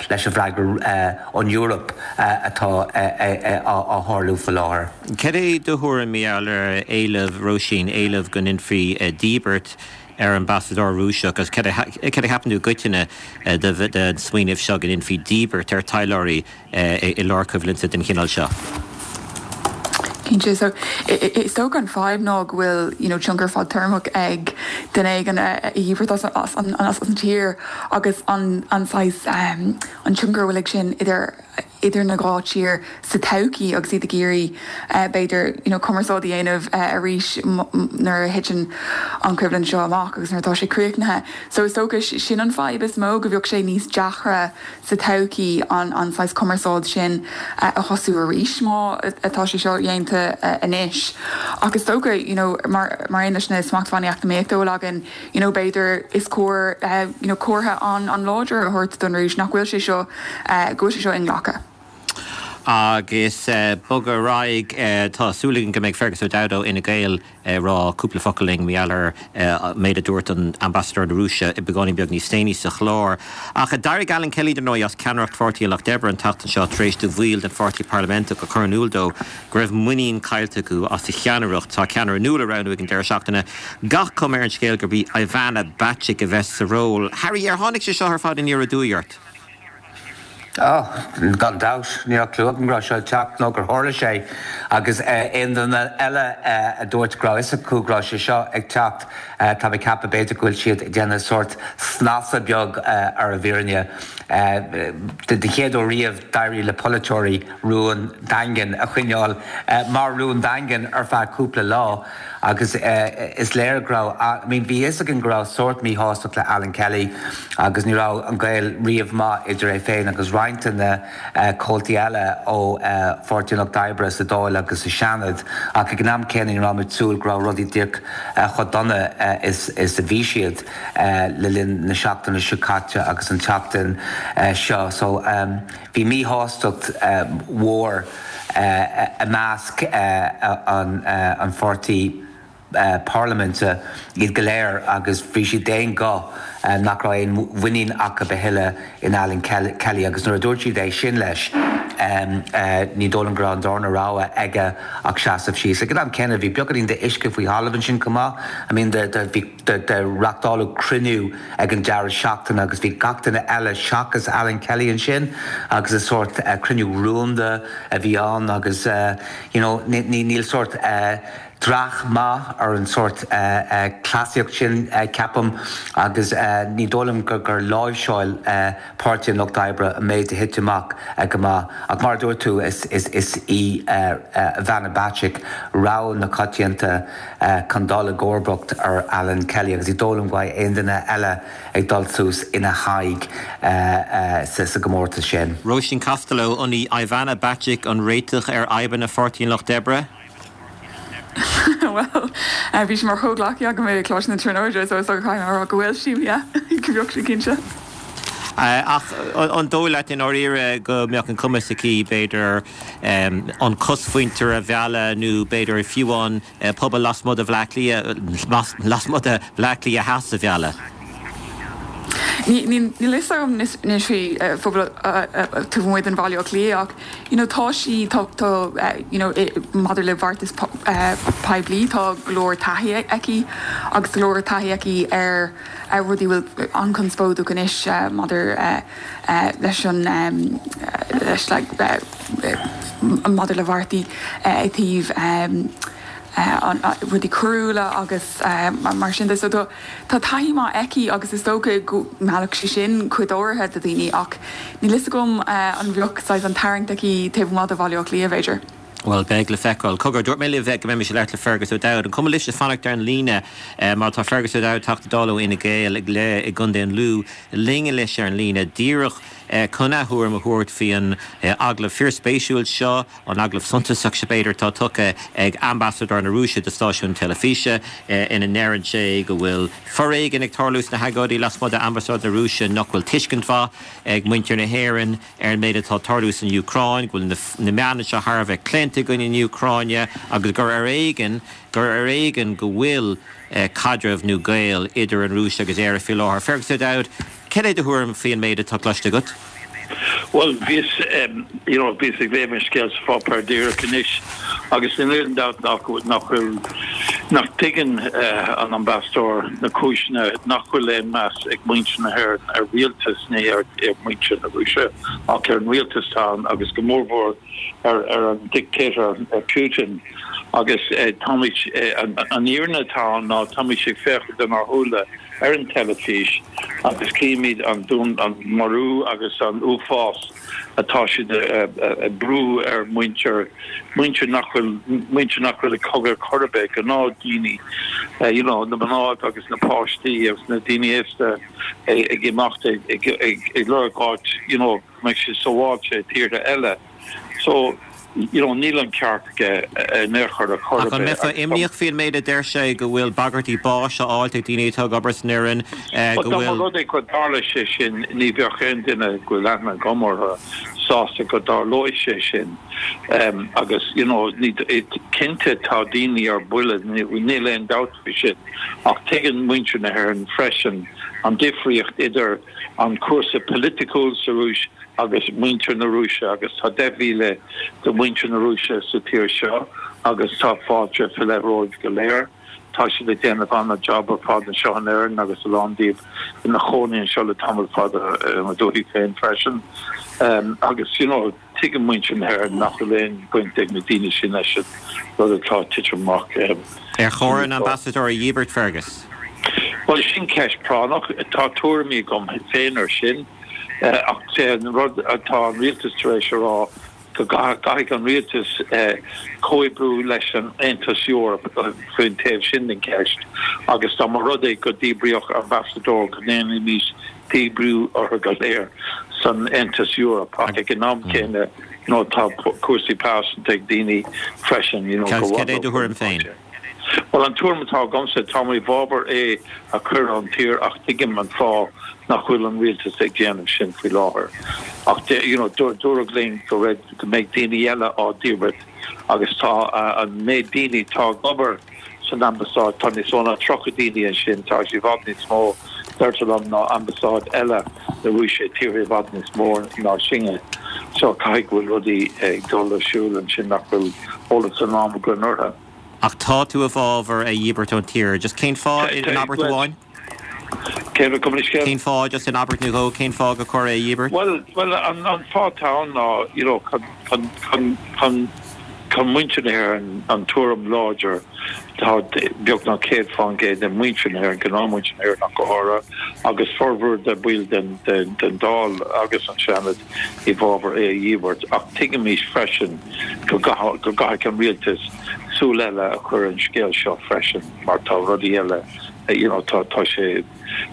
leis an bhfreagra ón Eoraip atá á tharlú faoi láthair. Cad é do thuairim mar gheall ar éileamh Róisín, éileamh go ndéanfaí díbirt ar ambasadóir Rúiseach agus cad a cheapann tú i gcoitinne den smaoineamh seo go ndéanfaí díbirt ar taidhleoirí i lár coimhlinte den chineál seo? Cinnte, so is dócha an fadhb ná go bhfuil you know tionchar fadtéarmach ag duine éigin a dhíbirt as an as an tír agus an an saghas an tionchar a bhfuil ag sin idir idir na dhá tír sa todhchaí agus iad ag iarraidh b'fhéidir you know cumarsáid a dhéanamh arís nuair a thiteann an choimhlint seo amach agus nuair atá sé críochnaithe. So is dócha sin an fadhb is mó go bheadh sé níos deacra sa todhchaí an an saghas cumarsáid sin a thosú arís má atá sé seo dhéanta anois. Ach is dócha you know mar mar aon leis na smachtbhannaí eacnamaíochta a bhfuil againn you know b'fhéidir is cóir you know comhartha an an láidir a thabhairt don Rúis nach bhfuil sé seo go bhfuil sé seo inghlactha. Agus bogadh ar aghaidh, tá súil againn go mbeidh Fergus O'Dowd ó Fhine Gael ag rá cúpla focal linn mar gheall ar an méid a dúirt an Ambasadóir na Rúise beagáinín beag níos déanaí sa chlár. Ach d'éirigh Alan Kelly dar ndóigh as ceannaireacht Pháirtí an Lucht Oibre an tseachtain seo tar éis do bhaill den pháirtí parlaiminteach a chur in iúl dó go raibh muinín caillte acu as a cheannaireacht. Tá ceannaire nua le roghnú ag an deireadh seachtaine. Gach cuma ar an scéal gurb í Ivana Bacik a bheas sa ról. Harry, ar tháinig sé seo ar fad aniar aduaidh ort? Ó, gan dabht, ní raibh clue agam go raibh sé ag teacht nó gur tharla sé agus aon duine eile a dúirt go raibh fhios acu go raibh sé seo ag teacht, tá mé ag ceapadh b'fhéidir go bhfuil siad ag déanamh sórt snasa beag ar an bhfírinne. Den chéad uair riamh d'éirigh le polaiteoirí rún daingean a choinneáil mar rún daingean ar feadh cúpla lá. Agus is léir go raibh, I mean bhí fhios againn go raibh sórt míshástacht le Alan Kelly agus ní raibh an gaol riamh maith idir é féin agus roinnt de na comhaltaí eile ó Pháirtí an Lucht Oibre sa Dáil agus sa Seanad ach ag an am céanna ní raibh muid ag súil go raibh rudaí díreach chomh dona is is a bhí siad le linn na seachtaine seo caite agus an tseachtain seo. So bhí míshástacht mhór i measc an pháirtí parlaiminte, iad go léir, agus bhí siad d'aon ghuth nach raibh aon mhuinín acu a thuilleadh in Alan Kelly agus nuair a dúirt siad é sin leis, ní dóigh liom go raibh an darna rogha aige ach seasamh síos. Ag an am céanna, bhí beagáinín d'uisce faoi thalamh ansin chomh maith. I mean, bhí. Reáchtáladh cruinniú ag an deireadh seachtaine agus bhí gach duine eile seachas Alan Kelly ansin agus is sórt cruinniú rúnda a bhí ann agus you know níl sórt Dreach maith ar an sórt cleasaíocht sin, ceapaim, agus ní dóigh liom gur láimhseáil Páirtí an Lucht Oibre an méid a thit amach go maith. Ach mar a dúirt tú, is í Ivana Bacik rogha na coitianta chun dul i gcomharbacht ar Alan Kelly agus ní dóigh liom go mbeidh aon duine eile ag dul suas ina haghaidh sa gcomórtas sin. Róisín Costello, an í Ivana Bacik an réiteach ar fhadhbanna Pháirtí an Lucht Oibre? Bhuel, bhí sí mar chomhghleacaí agam i gColáiste na Tríonóide so is dócha caithfidh mé a rá go bhfuil sí, yeah, go mbeadh sí cinnte. Ach an dóigh leat i ndáiríre go mbeadh an cumas aici, b'fhéidir, an cosmhuintir a mhealladh nó b'fhéidir fiú an pobal lasmuigh de Bhleá Cliath, lasmuigh de Bhleá Cliath Theas a mhealladh? Níl fhios agam anois faoi phobal taobh amuigh den Bhaile Átha Cliath ach you know tá sí tá tá you know maidir le beartas poiblí tá go leor taithí aici agus go leor taithí aici ar ar rudaí a bhfuil an-chonspóideach anois maidir leis an leis like maidir le beartaí i dtaobh rudaí coiriúla agus mar sin de. So tá taithí maith aici agus is dócha go meallfadh sí sin cuid áirithe de dhaoine ach níl fhios agam an bheadh saghas an tarraingt aici taobh amuigh de Bhaile Átha Cliath b'fhéidir. Bhuel, beidh le feiceáil. Cogar, dúirt mé libh go mbeimis ag labhairt le Fergus O'Dowd. An cuma libhse fanacht ar an líne mar tá Fergus O'Dowd, Teachta Dála ó Fhine Gael i gContae an Lú, linn anois ar an líne díreach chun a thuairim a thabhairt faoi an agallamh fíorspéisiúil seo. An agallamh suntasach seo b'fhéidir atá tugtha ag Ambasadóir na Rúise do stáisiún teilifíse ina ndeireann sé go bhfuil foréigean ag tarlú sna hagóidí lasmuigh d'Ambasáid na Rúise, nach bhfuil tuiscint mhaith ag muintir na hÉireann ar an méid atá ag tarlú san Úcráin, go bhfuil na meáin anseo thar a bheith claonta i gcoinne na Úcráine agus gur ar éigean gur ar éigean go bhfuil caidreamh nó gaol idir an Rúis agus Éire faoi láthair. Fergus O'Dowd, cad é do thuairim faoi an méid atá cloiste agat? Bhuel, bhíos, you know, bhíos ag léamh an scéal sa pháipéar díreach anois agus níl aon dabht nach nach bhfuil, nach dtuigeann an Ambasadóir na cúiseanna nach bhfuil aon meas ag muintir na hÉireann ar rialtas, ní ar mhuintir na Rúise ach ar an rialtas atá ann agus go mórmhór ar ar an dictator Putin agus táimid, an fhírinne atá ann ná táimid ag féachaint lenár shúile ar an teilifís agus címid an dún, an marú agus an uafás atá siad ag brú ar muintir, muintir nach bhfuil, muintir nach bhfuil ag cogadh chor ar bith, gnáthdhaoine, you know, na mná agus na páistí agus na daoine aosta ag imeacht ag, ag, ag lorg áit, you know, go mbeidh siad sábháilte i tíortha eile. So. You know, níl an ceart aige in aon chor ar chor ar bith. Ach an mbeifeá imníoch faoin méid a deir sé, go bhfuil bagairtí báis á fháilt ag daoine atá ag obair san fhoireann, go Dá mba bhfuil. rud é go dtarla sé sin, ní bheadh aon duine go bhfuil aithne agam orthu sásta go dtarlóidh sé sin. Agus, you know, ní, cinnte tá daoine ar buile, níl aon dabht faoi sin. Ach tuigeann muintir na hÉireann freisin an difríocht idir an cúrsa polaitiúil sa Rúis agus muintir na Rúise agus tá deich mhíle de mhuintir na Rúise sa tír seo agus tá fáilte faoi leith romhaibh go léir. Tá siad ag déanamh an-jab ar fad anseo in Éirinn agus a lán díobh ina chónaí anseo le tamall fada i mo dhúthaigh féin freisin. Agus you know tuigeann muintir na hÉireann nach bhfuil aon bhaint ag na daoine sin leis an rud atá ag titim amach. Ar chóir an Ambasadóir a dhíbirt, Fergus? Bhuel sin ceist práinneach. Tá tuairimí agam féin ar sin. Ach sé an rud atá an rialtas tar éis a rá go gcaithfidh an rialtas comhoibriú leis an Aontas Eorpach faoin taobh sin den cheist agus dá mba rud é go díbríodh ambasadóir go ndéanfaimis díbriú orthu go léir san Aontas Eorpach ach ag an am céanna you know tá cúrsaí pearsanta ag daoine freisin you know go Cad é do thuairim féin? Bhuel, an tuairim atá agamsa, tá mé i bhfabhar é a chur ón tír ach tuigim an fáth nach bhfuil an rialtas ag déanamh sin faoi láthair. Ach you know, dúradh linn go raibh, go mbeidh daoine eile á dhíbirt agus tá an méid daoine atá ag obair san ambasáid, tá níos mó ná tríocha daoine ansin, tá sé i bhfad níos mó, deirtear liom, ná ambasáid eile na Rúise i tíortha i bhfad níos mó ná sinne. So caithfidh go bhfuil rudaí ag dul ar siúl ansin nach bhfuil eolas iomlán againn orthu. Ach tá tú i bhfabhar é a dhíbirt ón tír. Just cén fáth in abairt amháin? Cén fáth, just in abairt nó dhó, cén fáth gur chóir é a dhíbirt? Bhuel, bhuel, an, an fáth atá ann ná, you know, chun, chun, chun, chun Tá muintir na hÉireann an tuairim láidir, tá beagnach céad fán gcéad de mhuintir na hÉireann, gnáthmhuintir na hÉireann ach go háirithe, agus formhór de bhaill den den Dáil agus an Seanad i bhfabhar é a dhíbirt. Ach tuigimís freisin go go gcaithfidh an rialtas súil eile a chur ar an scéal seo freisin mar tá rudaí eile, you know, tá tá sé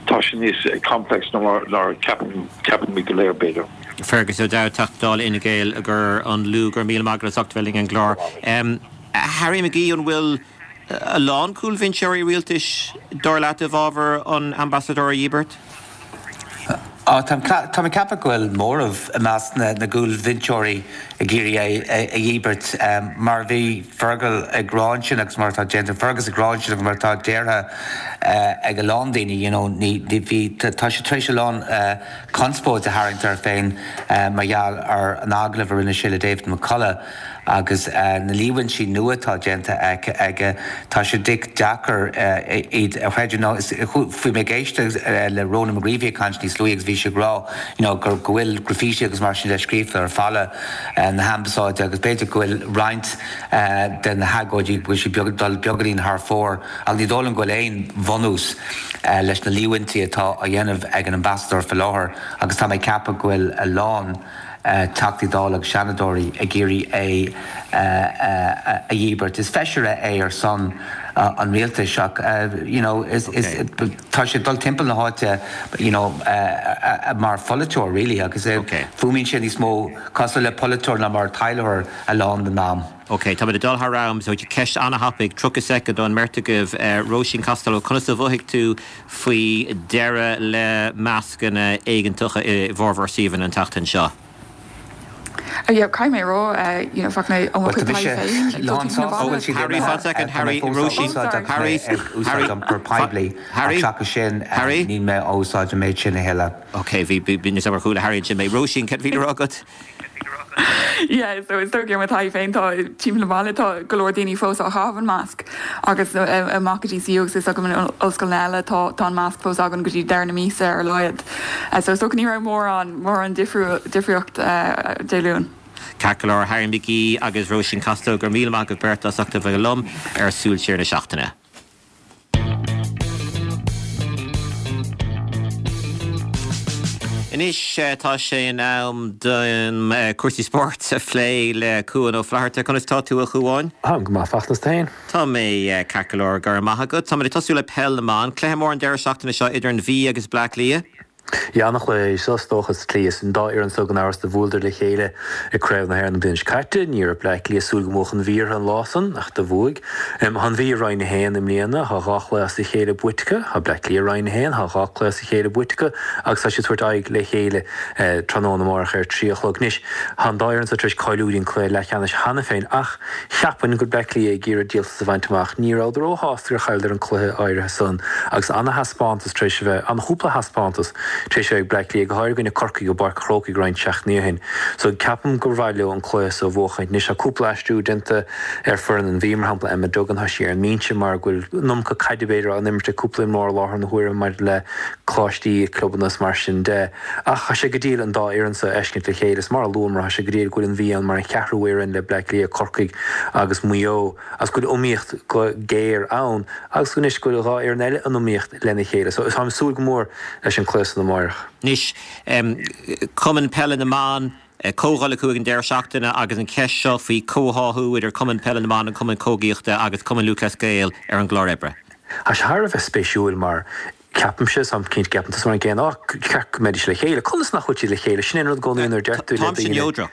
tá sé níos complex ná mar ná ceapann ceapaimid go léir b'fhéidir. Fergus O'Dowd, Teachta Dála Fhine Gael gur an Lú, go raibh míle maith agat as ucht a bheith linn ar an gclár. Harry McGee, an bhfuil a lán cúlbhinseoirí rialtais, dar leat, i bhfabhar an ambasadóir a dhíbirt? Á, tá mé ag ceapadh go bhfuil móramh i measc na gcúlbhinseoirí ag iarraidh é a dhíbirt. Mar a bhí Fergal ag rá ansin agus mar atá déanta, Fergus ag rá ansin agus mar atá déartha ag a lán daoine, you know, ní, bhí, tá sé tar éis a lán conspóid a tharraingt air féin mar gheall ar an agallamh a rinne sé le David McCullough. Agus na líomhaintí nua atá déanta aige, tá sé deacair iad a chreidiúint. Bhí mé ag éisteacht le Ronan McGreevy ag caint níos luaithe agus bhí sé ag rá you know go bhfuil graffiti agus mar sin de scríofa ar falla na hambasáide agus b'fhéidir go bhfuil roinnt de na hagóidí go bhfuil siad ag dul beagáinín thar fóir ach ní dóigh liom go bhfuil aon bhunús leis na líomhaintí atá á dhéanamh ag an ambasadóir faoi láthair agus tá mé ag ceapadh go bhfuil a lán Teachtaí Dála agus Seanadóirí ag iarraidh é a dhíbirt. Is feisire é ar son an rialtais ach you know is tá sé ag dul timpeall na háite you know mar pholaiteoir really agus fuaimíonn sé níos mó cosúil le polaiteoir ná mar taidhleoir a lán den am. Ok, táimid ag dul thar am, so ceist an-thapaidh, tríocha soicind don mbeirt agaibh. Róisín Costello, conas a mhothaigh tú faoi deireadh le mascanna éigeantacha i bhformhór suíomhanna an tseachtain seo? Yeah, caithfidh mé a rá, you know, bheadh mé ó mo chuid taithí féin ag dul timpeall na baile. Harry, fan soicind, Harry, Róisín, Harry, Ag úsáid iompar poiblí ach seachas sin níl mé á úsáid an méid sin a thuilleadh. Ok, bhí, bhí, níl a fhios agam ar chuala Harry ansin mé. Róisín, céard a bhí le rá agat? Yeah, so is dóigh ar mo thaithí féin tá timpeall na baile tá go leor daoine fós á chaitheamh an masc agus amach go DCU agus is agam in ollscoileanna eile tá tá an masc fós againn go dtí deireadh na míosa ar a laghad. So is dócha ní raibh mórán mórán difríocht Dé Luain. Ceart go leor, Harry McGee agus Róisín Costello, go raibh míle maith agaibh beirt as ucht a bheith liom ar Súil Siar na Seachtaine. Anois tá sé in am dom cúrsaí spóirt a phlé le Cuan Ó Flatharta. Conas tá tú, a Chuáin? Táim go maith, fachtas tú féin? Tá mé ceart go leor, go raibh maith agat. Táimid ag tosú le Peil na mBan. Cluiche mór an deireadh seachtaine seo idir an Mhí agus Bleá Cliath. Yeah, an-chluiche é seo, is dócha, sa tslí is an dá fhoireann so gan amhras do bhuaileadar le chéile i Craobh na hÉireann an bhliain seo caite. Ní raibh Bleá Cliath ag súil go mbuafadh an Mhí orthu an lá san, ach do bhuaigh. Tá an Mhí i Roinn a haon i mbliana, tá dhá chluiche as a chéile buaite acu. Tá Bleá Cliath i Roinn a haon, tá dhá cluiche as a chéile buaite acu agus tá siad ag tabhairt aghaidh le chéile tráthnóna amárach ar trí a chlog. Anois, tá an dá fhoireann so tar éis cáiliú go dtí an cluiche leathcheannais cheana féin ach cheapfainn go bhfuil Bleá Cliath ag iarraidh díoltas a bhaint amach. Ní rabhadar róshásta gur chailleadar an cluiche áirithe san agus ana-thaispeántas tar éis a bheith, ana-chúpla thaispeántas tar éis a bheith ag Bleá Cliath, go háirithe i gcoinne Corcaigh i bPáirc an Chrócaigh roinnt seachtainí ó shin. So ceapaim gur mhaith leo an cluiche so a bhuachaint. Anois tá cúpla aistriú déanta ar foireann an Mhí, mar shampla Emma Duggan, tá sí ar an mbinse mar go bhfuil an iomarca caide b'fhéidir á n-imirt ag cúpla imreoir i láthair na huaire maidir le coláistí, clubanna is mar sin de. Ach tá sé go diail an dá fhoireann so a fheiscint le chéile. Is mar a luamar, tá sé go diail go bhfuil an Mhí ann mar an cheathrú fhoireann le Bleá Cliath, Corcaigh agus Maigh Eo agus go bhfuil iomaíocht ghéar ann agus anois go bhfuil dhá fhoireann eile in iomaíocht lena chéile. So táim ag súil go mór leis an cluiche san amáireach. Anois, Cumann Peile na mBan, comhdháil acu ag an deireadh seachtaine agus an cheist seo faoi chomhtháthú idir Cumann Peile na mBan, an Cumann Camógaíochta agus Cumann Lúthchleas Gael ar an gclár oibre. Tá sé thar a bheith spéisiúil mar ceapaimse, táim cinnte go gceapann tusa mar an gcéanna, á, ceart go mbeidís le chéile. Conas nach bhfuil siad le chéile? Sin é an rud i gcónaí nuair a deir tú le Táimse daoine. neodrach.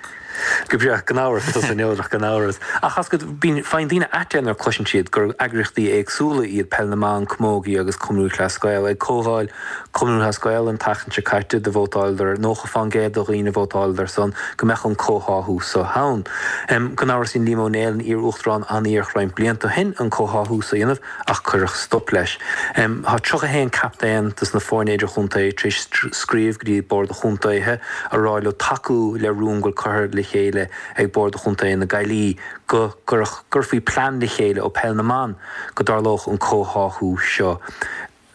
Go breá, gan amhras, tá tusa neodrach, gan amhras. Ach as go, bíonn, faigheann daoine ait é nuair a chloiseann siad gur eagraíochtaí éagsúla iad Peil na mBan, Camogie agus Cumann Lúthchleas Gael. Ag comhdháil Cumann Lúthchleas Gael an tseachtain seo caite do vótáileadar, nócha fán gcéad de dhaoine a vótáileadar ar son go mbeadh an comhtháthú so ann. Gan amhras dhein Liam Ó Néill, an iar-uachtarán, an-iarracht roinnt blianta ó shin an comhtháthú so a dhéanamh ach cuireadh stop leis. Tá tríocha a haon captaen dos na foirne idirchontae tar éis scríobh go dtí Bord an Chontaetha a rá leo tacú le rún go bhfuil curtha le chéile ag Bord Chontae na Gaillimhe go gcuirfí plean le chéile ó Peil na mBan go dtarlódh an comhtháthú seo.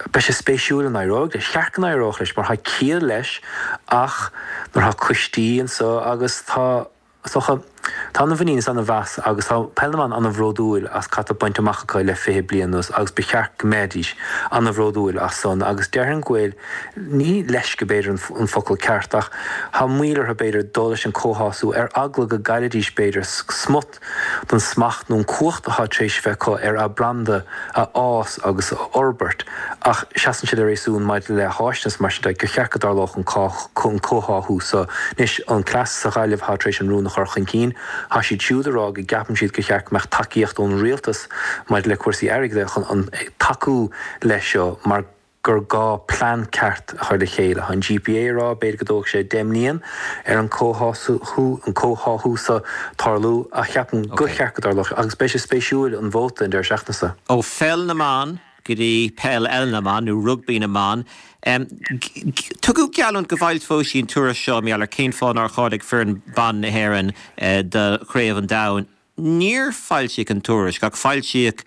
Beidh sé spéisiúil an éireoidh leis. Cheart go n-éireodh leis mar tá ciall leis ach nuair tá coistí anseo agus tá Is dócha, tá ana-mhuinín is ana-mheas agus tá Peil na mBan ana-bhródúil as cad tá bainte amach acu le fiche bliain anuas agus ba cheart go mbeidís ana-bhródúil as san agus déarfainn go bhfuil, ní leisce b'fhéidir an focal ceart ach tá moill orthu b'fhéidir dul leis an comhthású ar eagla go gcaillfidís b'fhéidir smut den smacht nó an cumhacht atá tar éis bheith acu ar a branda a fhás agus a fhorbairt ach seasann siad le réasún maidir le háiseanna is mar sin de gur cheart go dtarlódh an comhtháthú so. Anois, an cleas sa Ghaillimh atá tar éis an rún a chur chun cinn, tá siad siúd ag rá go gceapann siad gur cheart go mbeadh tacaíocht ón rialtas maidir le cúrsaí airgid chun tacú leis seo mar gur gá plean ceart a chur le chéile. Tá an GPA ag rá b'fhéidir go dtógfaidh sé deich mbliain ar an comhtháthú so tarlú ach ceapaim gur cheart go dtarlódh agus beidh sé spéisiúil an vóta an deireadh seachtaine seo. Ó pheil na mban go dtí peil eile na mban nó rugbaí na mban. Tugadh geallúint go bhfoilseofaí an tuairisc seo mar gheall ar cén fáth nár cháiligh foireann ban na hÉireann do Chraobh an Domhain. Níor foilsíodh an tuairisc ach foilsíodh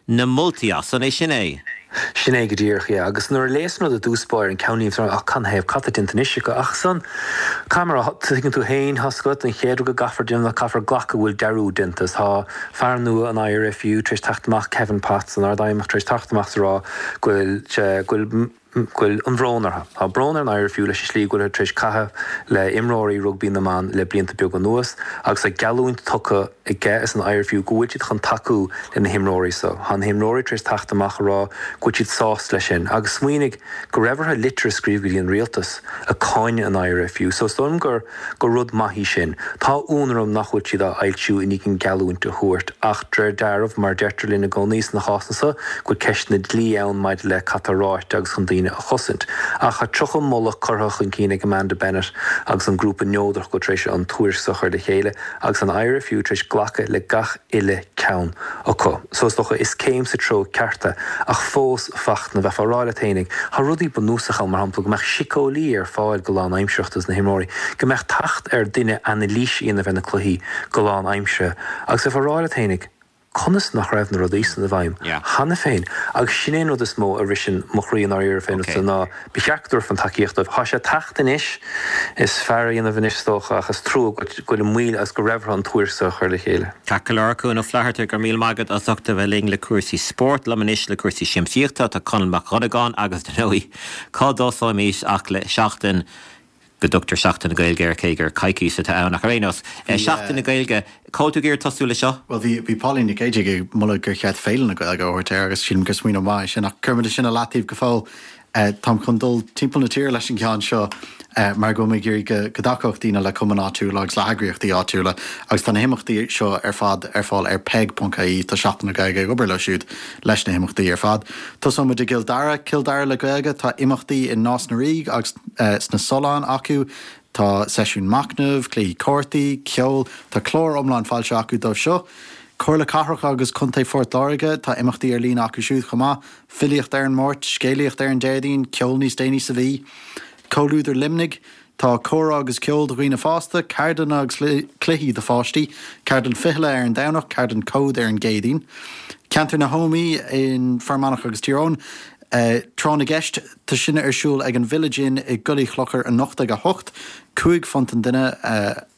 na moltaí as. An é sin é? Sin é go díreach, yeah. Agus nuair a léas an rud i dtús báire, an ceannlíne, bhí mé ach canathaobh, cad tá déanta anois acu? Ach ansan, caithfidh mé a rá, tuigeann tú féin, tá a fhios agat, an chéad rud go gcaithfear déanamh ná caithfear glacadh go bhfuil dearúd déanta. Tá fear nua an IRFU tar éis teacht amach, Kevin Potts, an Ardfheidhmeannach, tar éis teacht amach is a rá go bhfuil sé, go bhfuil, go bhfuil an bhrón orthu. Tá brón ar an IRFU leis an slí go bhfuilthear tar éis caitheamh le imreoirí rugbaí na mban le blianta beaga anuas agus tá geallúint tugtha aige is an IRFU go bhfuil siad chun tacú le na himreoirí so. Tá na himreoirí tar éis teacht amach a rá go bhfuil siad sásta leis sin agus smaoinigh go raibh orthu litir a scríobh go dtí an rialtas ag cáineadh an IRFU so is dóigh liom gur gur rud maith í sin. Tá ionadh orm nach bhfuil siad á fhoilsiú i ndiaidh an geallúint a thabhairt ach de réir dealraimh mar deirtear linn i gcónaí sna cásanna so go bhfuil ceisteanna dlí ann maidir le cad tá ráite agus chun daoine a chosaint. Ach tá tríocha moladh curtha chun cinn ag Amanda Bennett agus an grúpa neodrach go tar éis an tuairisc so a chur le chéile agus an IRFU tar éis glacadh le gach uile ceann acu. So is dócha is céim sa treo ceart é ach fós Fachtna, bheifeá ag rá leat fhéinig, tá rudaí bunúsacha ann, mar shampla go mbeadh síceolaí ar fáil go lánaimsearach dos na himreoirí, go mbeadh teacht ar duine anailís a dhéanamh ar na cluichí go lánaimseartha agus bheifeá ag rá leat fhéinig, Conas nach raibh na rudaí san i bhfeidhm cheana féin? Agus sin é an rud is mó a bhriseann mo chroí i ndáiríre fén rud so ná ba cheart go dtabharfaí an tacaíocht dóibh. Tá sé ag teacht anois, is fearr a dhéanamh anois is dócha ach is trua go bhfuil an mhoill agus go raibh orthu an tuairisc so a chur le chéile. Ceart go leor, Cuan Ó Flatharta, go raibh míle maith agat as ucht a bheith linn le cúrsaí spóirt. Liom anois le cúrsaí siamsaíochta tá Conall Mac Dhonnagáin agus, dar ndóigh, cá dtosóimis ach le Seachtain go dtugtar Seachtain na Gaeilge air, cé gur coicís atá ann, ach ar aon nós, Seachtain na Gaeilge, cá bhfuil tú ag iarraidh tosú le seo? Bhuel, bhí, bhí Pauline Nic Géidigh ag moladh gur cheart Féile na Gaeilge a thabhairt air agus sílim gur smaoineamh maith é sin, ach cuirfimid sin i leataobh go fóill. Táim chun dul timpeall na tíre leis an gceann seo mar go bhfuil mé ag iarraidh go, go dtacódh daoine le cumainn áitiúla agus le heagraíochtaí áitiúla agus tá na himeachtaí seo ar fad ar fáil ar peig ponc ie. Tá Seachtain na Gaeilge ag obair leo siúd leis na himeachtaí ar fad. Tosóimid i gCill Dara, Cill Dara le Gaeilge, tá imeachtaí i Nás na Ríogh agus sna Solláin acu, tá seisiún machnaimh, cluichí cártaí, ceol, tá clár iomlán foilsithe acu dóibh seo. Comhairle Cathrach agus Contae Phort Láirge, tá imeachtaí ar líne acu siúd chomh maith, filíocht ar an Máirt, scéalaíocht ar an Déardaoin, ceol níos déanaí sa mhí. Comhluadar Luimnigh, Tá comhrá agus ceol do dhaoine fásta, ceardlanna agus cluichí do pháistí, ceardlann fichille ar an Domhnach, ceardlann cód ar an gCéadaoin. Ceantar na hÓmaí in Fear Manach agus Tír Eoghain, Tráth na gCeist, tá sin ar siúl ag an Village Inn i gCoillidh Chlochair anocht ag a hocht, cúig phunt an duine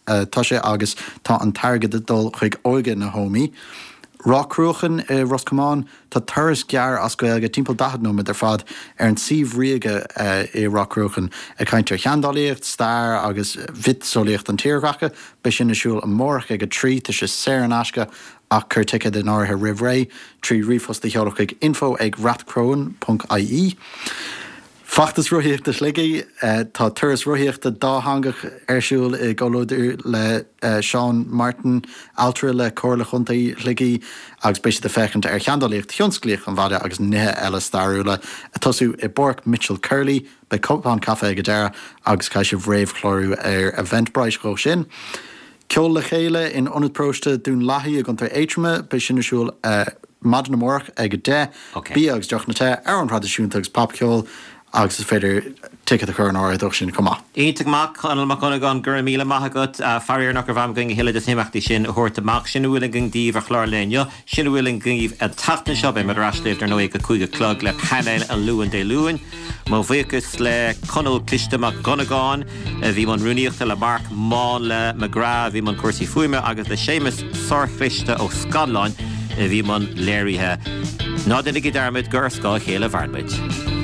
atá sé agus tá an t-airgead ag dul chuig Óige na hÓmaí. Ráth Cruachan i Ros Comáin, tá turas gearr as Gaeilge, timpeall daichead nóiméad ar fad, ar an suíomh ríoga i Ráth Cruachan, ag caint ar sheandálaíocht, stair agus mhiotaseolaíocht an tírdhreacha. Beidh sin ar siúl amárach ag a trí, tá sé saor in aisce ach cuir ticéad in áirithe roimh ré trí ríomhphost a sheoladh chuig info ag rathcrohan ponc ie. Feachtas Rothaíochta Shligigh, Tá turas rothaíochta dátheangach ar siúl i gcomhluadar le Seán Martin, ailtire le Comhairle Chontae Shligigh agus beidh siad ag féachaint ar sheandálaíocht thionsclaíoch an bhaile agus nithe eile stairiúla. Ag tosú i bPáirc Mitchell Curley, beidh cupán caife ag an deireadh agus caithfidh sibh réamhchlárú ar Eventbrite dhó sin. Ceol le Chéile in Ionad Paróiste Dún Lathaí i gContae Aontroma, beidh sin ar siúl maidin amárach ag a deich. Bia agus deochanna te, amhráin thraidisiúnta agus popcheol agus is féidir ticéad a chur in áirithe dó sin chomh maith. Iontach maith, Conall Mac Dhonnagáin, go raibh míle maith agat. Faraor nach raibh am againn a thuilleadh des na himeachtaí sin a thabhairt amach. Sin a bhfuil againn daoibh ar chlár an lae inniu. Sin a bhfuil againn daoibh an tseachtain seo. Beidh muid ar ais libh dar ndóigh ag a cúig a chlog le painéal an Luain Dé Luain. Mo bhuíochas le Conall Cliste Mac Dhonnagáin a bhí i mbun rúnaíochta, le Marc Máinle McGrath a bhí i mbun cúrsaí fuaime agus le Séamus Sárchliste Ó Scanláin a bhí i mbun léirithe. Ná déanaigí dearmad gur ar scáth a chéile a mhaireann muid.